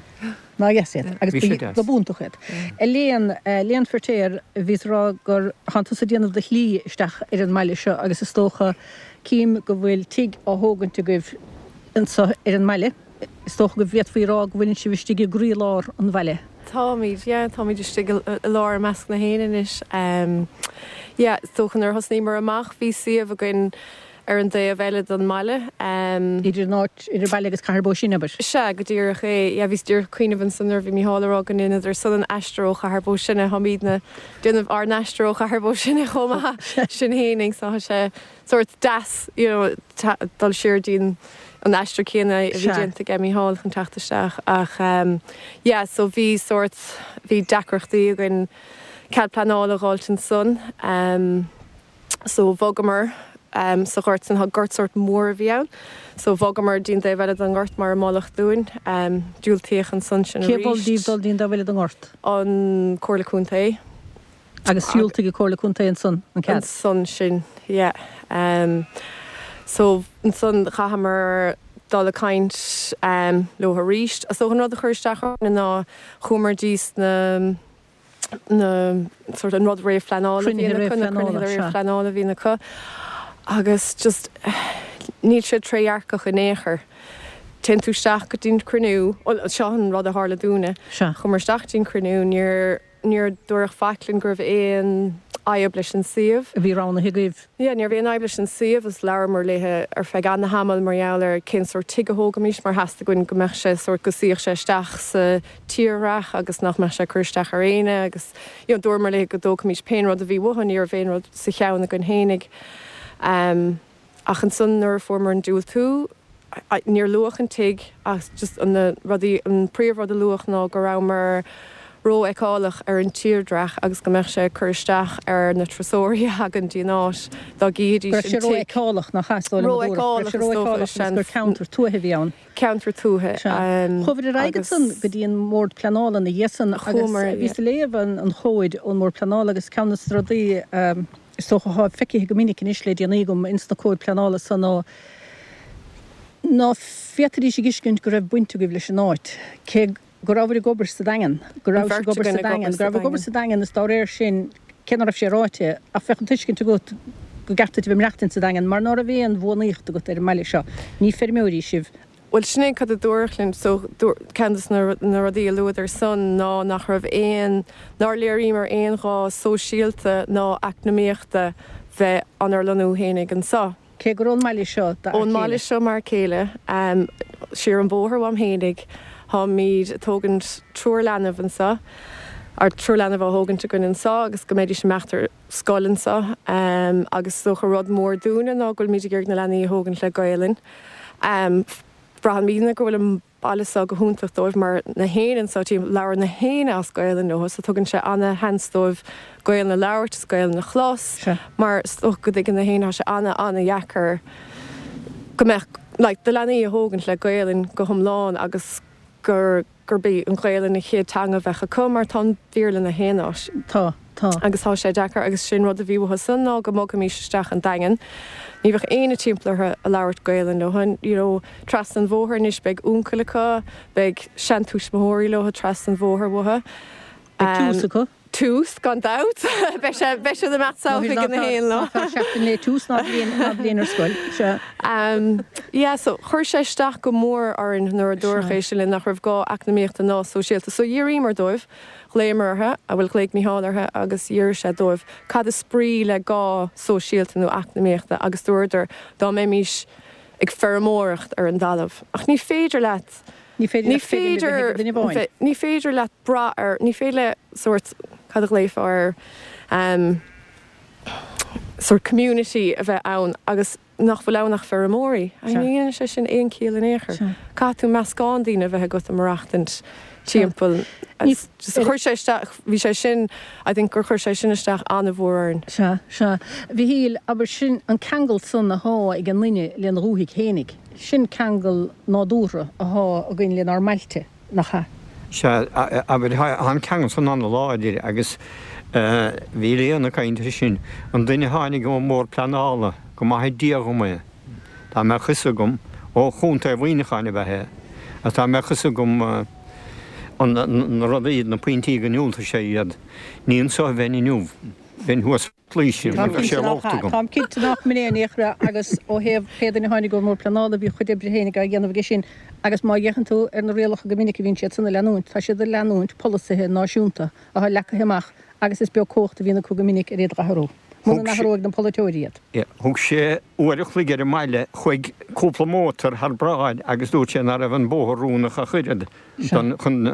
Nár dheas iad. Agus Bhí sé deas. ba b'iontach iad. A Léan, Léan Firtéar, bhíos ag rá gur thánn tusa ag déanamh do shlí isteach ar an mbaile seo agus is dócha, cím go bhfuil tigh á thógaint agaibh anso ar an mbaile. Is dócha go bhféadfaí a rá go bhfuileann sibh istigh i gcroílár an bhaile. Táimid, yeah, táimid istigh i lár i measc na héin anois. Yeah, is dócha nuair a thosnaíomar amach bhí suíomh againn ar an dtaobh eile den mbaile. Idir an áit, idir baile agus Cathair Bó Sine, abair? Sea, go díreach é. Yeah, bhíos díreach ag cuimhneamh ansan nuair a bhí Mícheál ag rá go ndeineadar san an aistear ó Chathair Bó Sine, táimidne ag déanamh ár n-aistear ó Chathair Bó Sine chomh maith, sin fhéinig, so tá sé sórt deas, you know, dul siar dtí'n an aistear céanna a bhí déanta aige Mícheál chun teacht isteach ach yeah so bhí sórt, bhí deacrachtaí againn cead pleanála a dh'fháilt ansan so bhogamar sa ghort san, gort sórt mór a bhí ann so bhogamar dtí'n dtaobh eile den ngort mar a moladh dúinn, diúltaíodh ansan sin arís. Cé mhol daoibh dul dtí'n dtaobh eile den ngort? An Comhairle Contae. Agus dhiúltaigh an Comhairle Contae ansan an cead. Ansan sin, yeah. So ansan chaitheamar dul ag caint leo arís. So an rud a chuir isteach orainn ná chuamar dtí sna. Na sort an rud réamhphleanála a bhíonn acu, na cruinnithe réamhphleanála a bhíonn acu agus just níl sé trédhearcach in aon chor. Téann tú isteach go dtí an cruinniú, bhuel seo an rud a tharla dúinne, chuamar isteach go dtí an cruinniú, níor, níor dúradh faic linn go raibh aon fhadhb leis an suíomh. A bhí roghnaithe agaibh. Yeah, ní raibh aon fhadhb leis an suíomh agus labhramar léithe ar feadh ana-thamaill mar gheall ar cén sórt tigh a thógaimis mar theastaigh uainn go mbeadh sé sórt, go suífeadh sé isteach sa tírdhreach agus nach mbeadh sé ag cur isteach ar éinne agus you know dúramar léithe go dtógfaimis pén rud a bhí uathu, ní raibh aon rud sa cheann againn fhéinig. Ach ansan nuair a fuaireamar an diúltú, níor luadh an tigh ach just na rudaí, an príomh rud a luadh ná go rabhamar ró-fheiceálach ar an tírdhreach agus go mbeadh sé ag cur isteach ar na turasóirí a thagann dtí an áit dá gcífidís an tigh. Go raibh sé ró-fheiceálach, nach ea, is dóigh liom a dúradh. Go raibh sé ró-fheiceálach agus gur ceantar tuaithe a bhí ann. Ceantar tuaithe. Sea. Chuabhair ar aghaidh agus. ansan go dtí an mBord Pleanála ina dhiaidh san agus bhíos ag léamh an chomhaid ón mBord Pleanála agus ceann de na rudaí is dócha athá feicithe go minic anois le déanaí agam ins na comhaid pleanála san ná ná féadfaidís a dh'fheiscint go raibh baint agaibh leis an áit, cé go rabhabhair ag obair sa Daingean, go An rabhais ag bheirt obair againn sa ag Daingean, obair go sa rabhabhair ag obair Daingean. sa Daingean is dá réir sin, cé ná raibh sé ráite, ach bheadh an tuiscint agat go gceart duit a bheith ag maireachtaint sa Daingean mar ná raibh aon bhuanaíocht agat ar an mbaile seo. Ní feirmeoirí sibh. Bhuel, sin é cad a dúradh linn. So, ceann de na rudaí a luadar san ná nach raibh aon, nár léiríomar aon ghá sóisialta ná eacnamaíochta bheith inár lonnú fhéinig anso. Cé gur ón mbaile seo d'fhear Ón mbaile céile. seo m'fhear céile, siar an bóthar uaim fhéinig, táimid ag tógaint triúr leanbh anso, or triúr leanbh á thógaint againn anso agus go mbeidís ag imeacht ar scoil anso agus is dócha rud mór dúinne ná go bhfuilimid ag iarraidh na leanaí a thógaint le Gaelainn. Braithimidne go bhfuil an baile seo go hiontach dóibh mar na héinne anso timpeall, labhrann na héinne as Gaelainn leo so tugann sé ana-sheans dóibh Gaelainn a labhairt is Gaelainn a chlos mar is dócha go dtuigeann na héinne tá sé ana-ana-dheacair go mbeadh like do leanaí a thógaint le Gaelainn go hiomlán agus gur gurb í an Ghaelainn an chéad teanga a bheadh acu mar tá an Béarla na haon áit. Tá, tá. Agus tá sé deacair agus sin rud a bhí uathu san ná go mbogfaimis isteach an Daingean. Ní bheadh éinne timpeall orthu a labhairt Gaelainn leo. You know, trasna an bhóthair anois beidh uncail acu, beidh seantuismitheoirí leo trasna an bhóthair uathu. Beidh tús acu. Tús, gan dabht. Beidh sé, beidh siad ag imeacht salach ag na haon lá. Nach fearr seachtain le tús ná bliain, ná bliain ar scoil. Sea. Yeah, so chuir sé isteach go mór orainn nuair a dúradh é sin linn nach raibh gá eacnamaíochta ná sóisialta. So d'fhiafraíomar dóibh, ghlaomar orthu, bhuel ghlaoigh Micheál orthu agus d'fhiafraigh sé dóibh cad is brí le gá sóisialta nó eacnamaíochta agus dúradar dá mbeimís ag feirmeoireacht ar an dtalamh. Ach ní féidir leat Ní féidir leat feirm a bheith ag duine amháin. Ní féidir leat brath ar, ní féidir le sórt, cad a ghlaofá air, sórt community a bheith ann agus nach bhfuil ann ach feirmeoirí. Ní dhéanann sé sin aon chiall in aon chor. Caithfidh tú meascán daoine a bheith agat ag maireachtaint timpeall. Chuir sé isteach, bhí sé sin, I think gur chuir sé sin isteach an-mhór orainn. Sea, sea. A Mhichíl, abair sin an ceangal san athá ag an nduine lena dhúthaigh fhéinig. Sin ceangal nádúrtha athá againn lenár mbailte, nach ea? Sea, abair, tá an ceangal san an-láidir agus bhí Léan ag caint air sin. An duine a tháinig ón mBord Pleanála, go maithe Dia dhom é, dá mbeadh fhios agam, ó Chontae Mhuineacháin ab ea é, agus dá mbeadh fhios agam na rudaí, na pointí go ndiúltaigh sé iad, ní anso a bheinn inniu, bheinn thuas. Laoise, Táim bheadh cinnte sé nach locht ea. agam. Táim cinnte nach mb'in é in aon chor agus ó thaobh pé duine a tháinig ón mBord Pleanála bhí a chuid oibre féinig á dhéanamh aige sin agus má fhéachann tú ar na rialacha go minic a bhíonn siad san a leanúint, tá siad ag leanúint polasaithe náisiúnta atá leagtha amach agus is beag cumhacht a bhíonn acu go minic ar iad a athrú, muna Thug sé. n-athróidh na polaiteoirí iad. Thug sé uair a chloig ar an mbaile chuig cúpla mótar thar bráid agus dúirt sé ná raibh an bóthar oiriúnach ach oiread don chun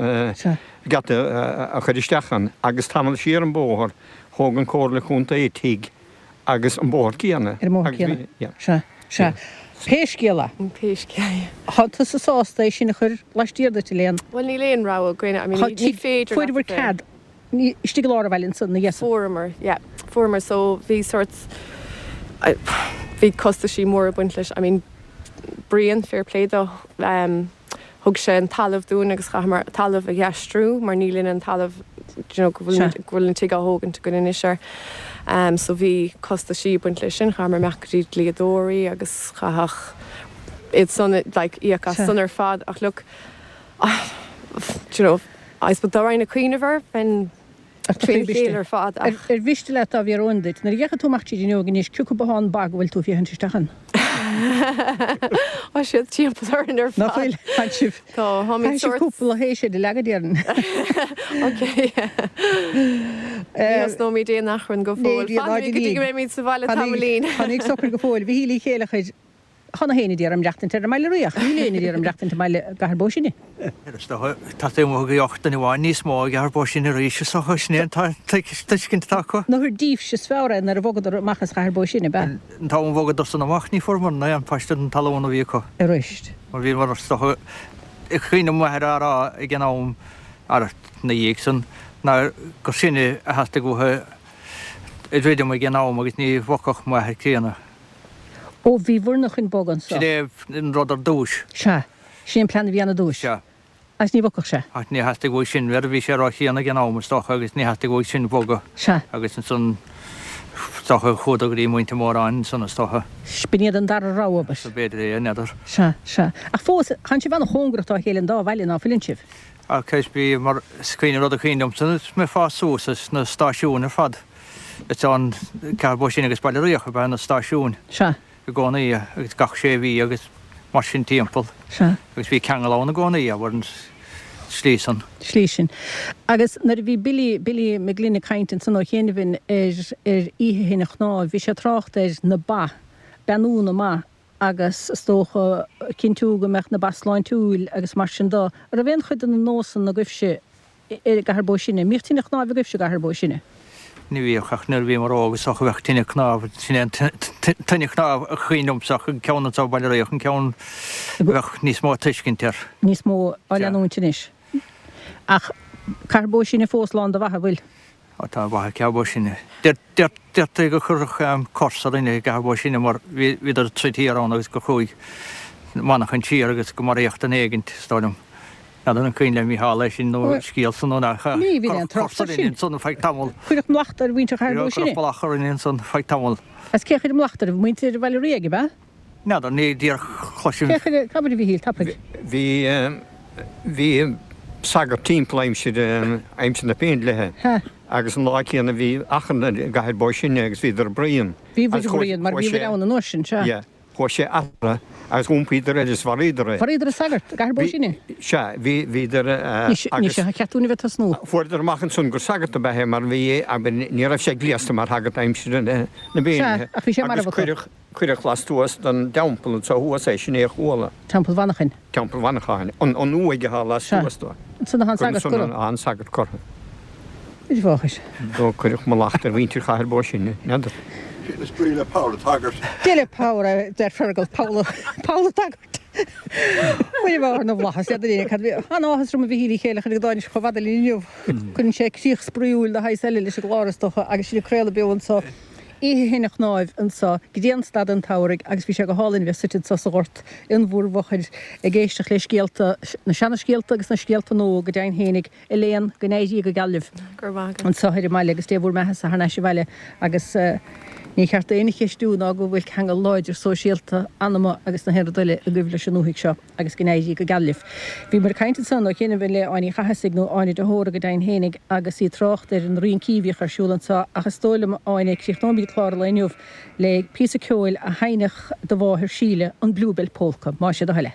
geata a chur isteach ann agus tamall siar an bóthar Thóg an Comhairle Contae tigh agus an bóthar céanna. Ar an mbóthar céanna. Sea, sea. Pé scéal é. Pé scéal é. Tá tusa sásta é sin a chur laistiar duit, a Léan? Bhuel, níl aon rogha againn. I mean, ní féidir leat a Fuaireabhair bheith. cead istigh i lár an bhaile ansan, ina dhiaidh san? Fuaireamar, yeah. Fuaireamar. So, bhí sort, bhí costaisí móra ag baint leis. I mean, Brian, fair play dó, Thug sé an talamh dúinn agus chaitheamar talamh a dh'aistriú mar ní linne an talamh do you know go bhfuil go bhfuil an tigh á thógaint againn anois air. So bhí costaisí ag baint leis sin, chaitheamar imeacht go dtí dlíodóirí agus chaithfeadh iad san like íoc as san ar fad ach look do you know I suppose dá raghainn ag cuimhneamh air bheinn. Trína chéile ar fad ach. Ar mhiste leat dá bhfiafróinn duit, nuair a gheochaidh tú amach tríd an fhuinneog anois, cé acu ba an ba go bhfuil tú ag féachaint isteach ann? Tá siad timpeall orainn ar fad. Nach bhfuil? Tá sibh. Tá, táimid sórt. Caithfidh sibh cúpla théis a leagadh, déarfainn. Ok. Ní thosnóimid aon achrann go fóill. Fanfaimid go dtí go mbeimid sa bhaile tamaillín. Fanaigí socair go fóill. Mhichíl Uí Chéileachair, Tá gach éinne d'iarraidh maireachtaint ar an mBaile Riach. Níl éinne d'iarraidh maireachtaint i mbaile i gCathair Bó Sine. Is dócha, tá taobh amuigh de gheoch duine amháin níos mó i gCathair Bó Sine arís, is dócha, sin é an tuiscint atá acu. Nach díbhse is fearr é nuair a bhogadar amach as Chathair Bó Sine, ab ea? An t-am a bhogadar san amach ní fuaireamar aon phaiste den talún a bhí acu. Arís. Mar bhíomar, is dócha, is cuimhin liom m'athair á rá ag an am, ina dhiaidh san, ná gur sinne a theastaigh uathu a dhruidim ag an am agus ní bhogfadh m'athair críonna. Ó, bhí bhur-na chun bogadh anso. Sin é an rud ar dtúis. Sea. Sin é an plean a bhí ann ar dtúis. Sea. Agus ní bhogfadh sé. Ach ní theastaigh uaidh sin, mar bhí sé ró-chríonna ag an am, is dócha, agus ní theastaigh uaidh sin bogadh. Sea. Agus ansan, is dócha, chuadar go dtí muintir Mhóráin ansan, is dócha. B'in iad an dara rogha, abair. Sea, b'fhéidir é, n'fheadar. Sea, sea. Ach fós, tánn sibh an-chóngarach dá chéile an dá bhaile, ná fuileann sibh? Ach is bhí, mar is cuimhin, rud a cuimhin liomsa, is mé ag fás suas, is na stáisiúin ar fad. Is ann Cathair Bó Sine agus Baile Riach ab ea na stáisiúin. Sea. I gcónaí agus gach sé mhí agus mar sin timpeall. Sea. Agus bhí ceangal ann i gcónaí, abair, an tslí san. Slí sin. Agus nuair a bhí Billy, Billy Mac Gloinn ag caint ansan ó chianaibh ar, ar oíche thine chnámh, bhí sé ag trácht ar na ba, beannú na mba agus is dócha cinntiú go mbeadh na ba sláintiúil agus mar sin do. An raibh aon chuid de na nósanna agaibhse i gCathair Bó Sine. An mbíodh tine chnáimh agaibhse i gCathair Bó Sine? Ní bhíodh ach nuair a bhíomar óg is dócha bheadh tine cnámh, sin é an tine chnámh a cuimhin liomsa ach an ceann anseo i Baile Riach an ceann a bheadh níos mó tuiscint air. Níos mó á leanúint anois. Ach Cathair Bó Sine fós lán de bha, an bhfuil? Ó tá ba i gCathair Bó Sine. Deirtear gur cuireadh cors ar dhuine i gCathair Bó Sine mar bhíodar ag troid thiar ann agus gur chuaigh manchain siar agus go maraíodh duine éigint, is dóigh liom. N'fheadar an cuimhin le Mícheál é sin nó an scéal san nó nach ea. Ní bhíonn aon trácht air sin. Ansan feadh tamall. Cuireadh mallacht ar mhuintir Chathair Bó Sine. Cuireadh mallacht ar dhuine ansan feadh tamall. Agus cé a chuir an mallacht orthu? Muintir Bhaile Ríog, ab ea? N'fheadar, ní díreach chloisim. Cé a chuir, abair a Mhichíl, tapaidh. Bhí, bhí sagart timpeall aimsir, aimsir na Péindlithe agus an lá céanna bhí achrann i gCathair Bó Sine agus bhíodar ag bruíon. Bhí bhí ag bruíon mar bhí bhí ann an uair sin, sea. Yeah. Chuaigh sé eatarthu agus iompaíodar air is mharaíodar é. Mharaíodar an sagart i gCathair Bó Sine. Sea, bhí, bhíodar agus. Anois, tá ceart dúinn a bheith ag tosnú. Fuaireadar amach ansan gur sagart ab ea é mar bhí, abair, ní raibh sé gléasta mar shagart aimsir na Péindlithe. Sea, ach bhí sé marbh acu. Agus cuireadh, cuireadh lastuas den dteampall anso thuas é, sin é a chuala. Teampall Mhanchain. Teampall Mhanchain, an uaigh atá lastuas dó. Ansan atá an sagart curtha. Ansan atá an sagart curtha. Muire mháthair. Do cuireadh mallacht ar mhuintir Chathair Bó Sine, n'fheadar. Sin is brí le Poll an tSagairt. Dia le Power a deir Fergal, Poll an tSagairt. Muire mháthair na bhFlaitheas, n'fheadar éinne cad a bhí. An-áthas orm a Mhichíl Uí Chéileachair go dtáinig sibh chomh fada linn inniu. Cuireann sé críoch spraíúil de shaghas eile leis an gclár is dócha agus sinn ag craoladh beo anso oíche thine chnáimh anso, grianstad an tsamhraidh agus bhí sé go hálainn a bheith suite anso sa ghort in bhur bhfochair ag éisteacht le scéalta, na seana-scéalta agus na scéalta nua go deimhin fhéinig. Elaine, go n-éirí go geal libh Go raibh maith agat. anseo ar an mbaile agus Dé bhur mbeathasa thar n-ais abhaile agus ní cheart d'éinne cheistiú ná go bhfuil ceangal láidir sóisialta, anama agus na haon rud eile agaibh leis an ndúthaigh seo agus go n-éirí go geal libh. Bhíomar ag caint ansan ó chianaibh le Áine Uí Chathasaigh nó Áine de hÓra go deimhin fhéinig agus í ag trácht ar na rincí a bhíodh ar siúl anseo ach is dóigh liom Áine críochnóimid clár an lae inniu le píosa ceoil a sheinnfeadh do mháthair Síle, an Bluebell Polka, más é do thoil é.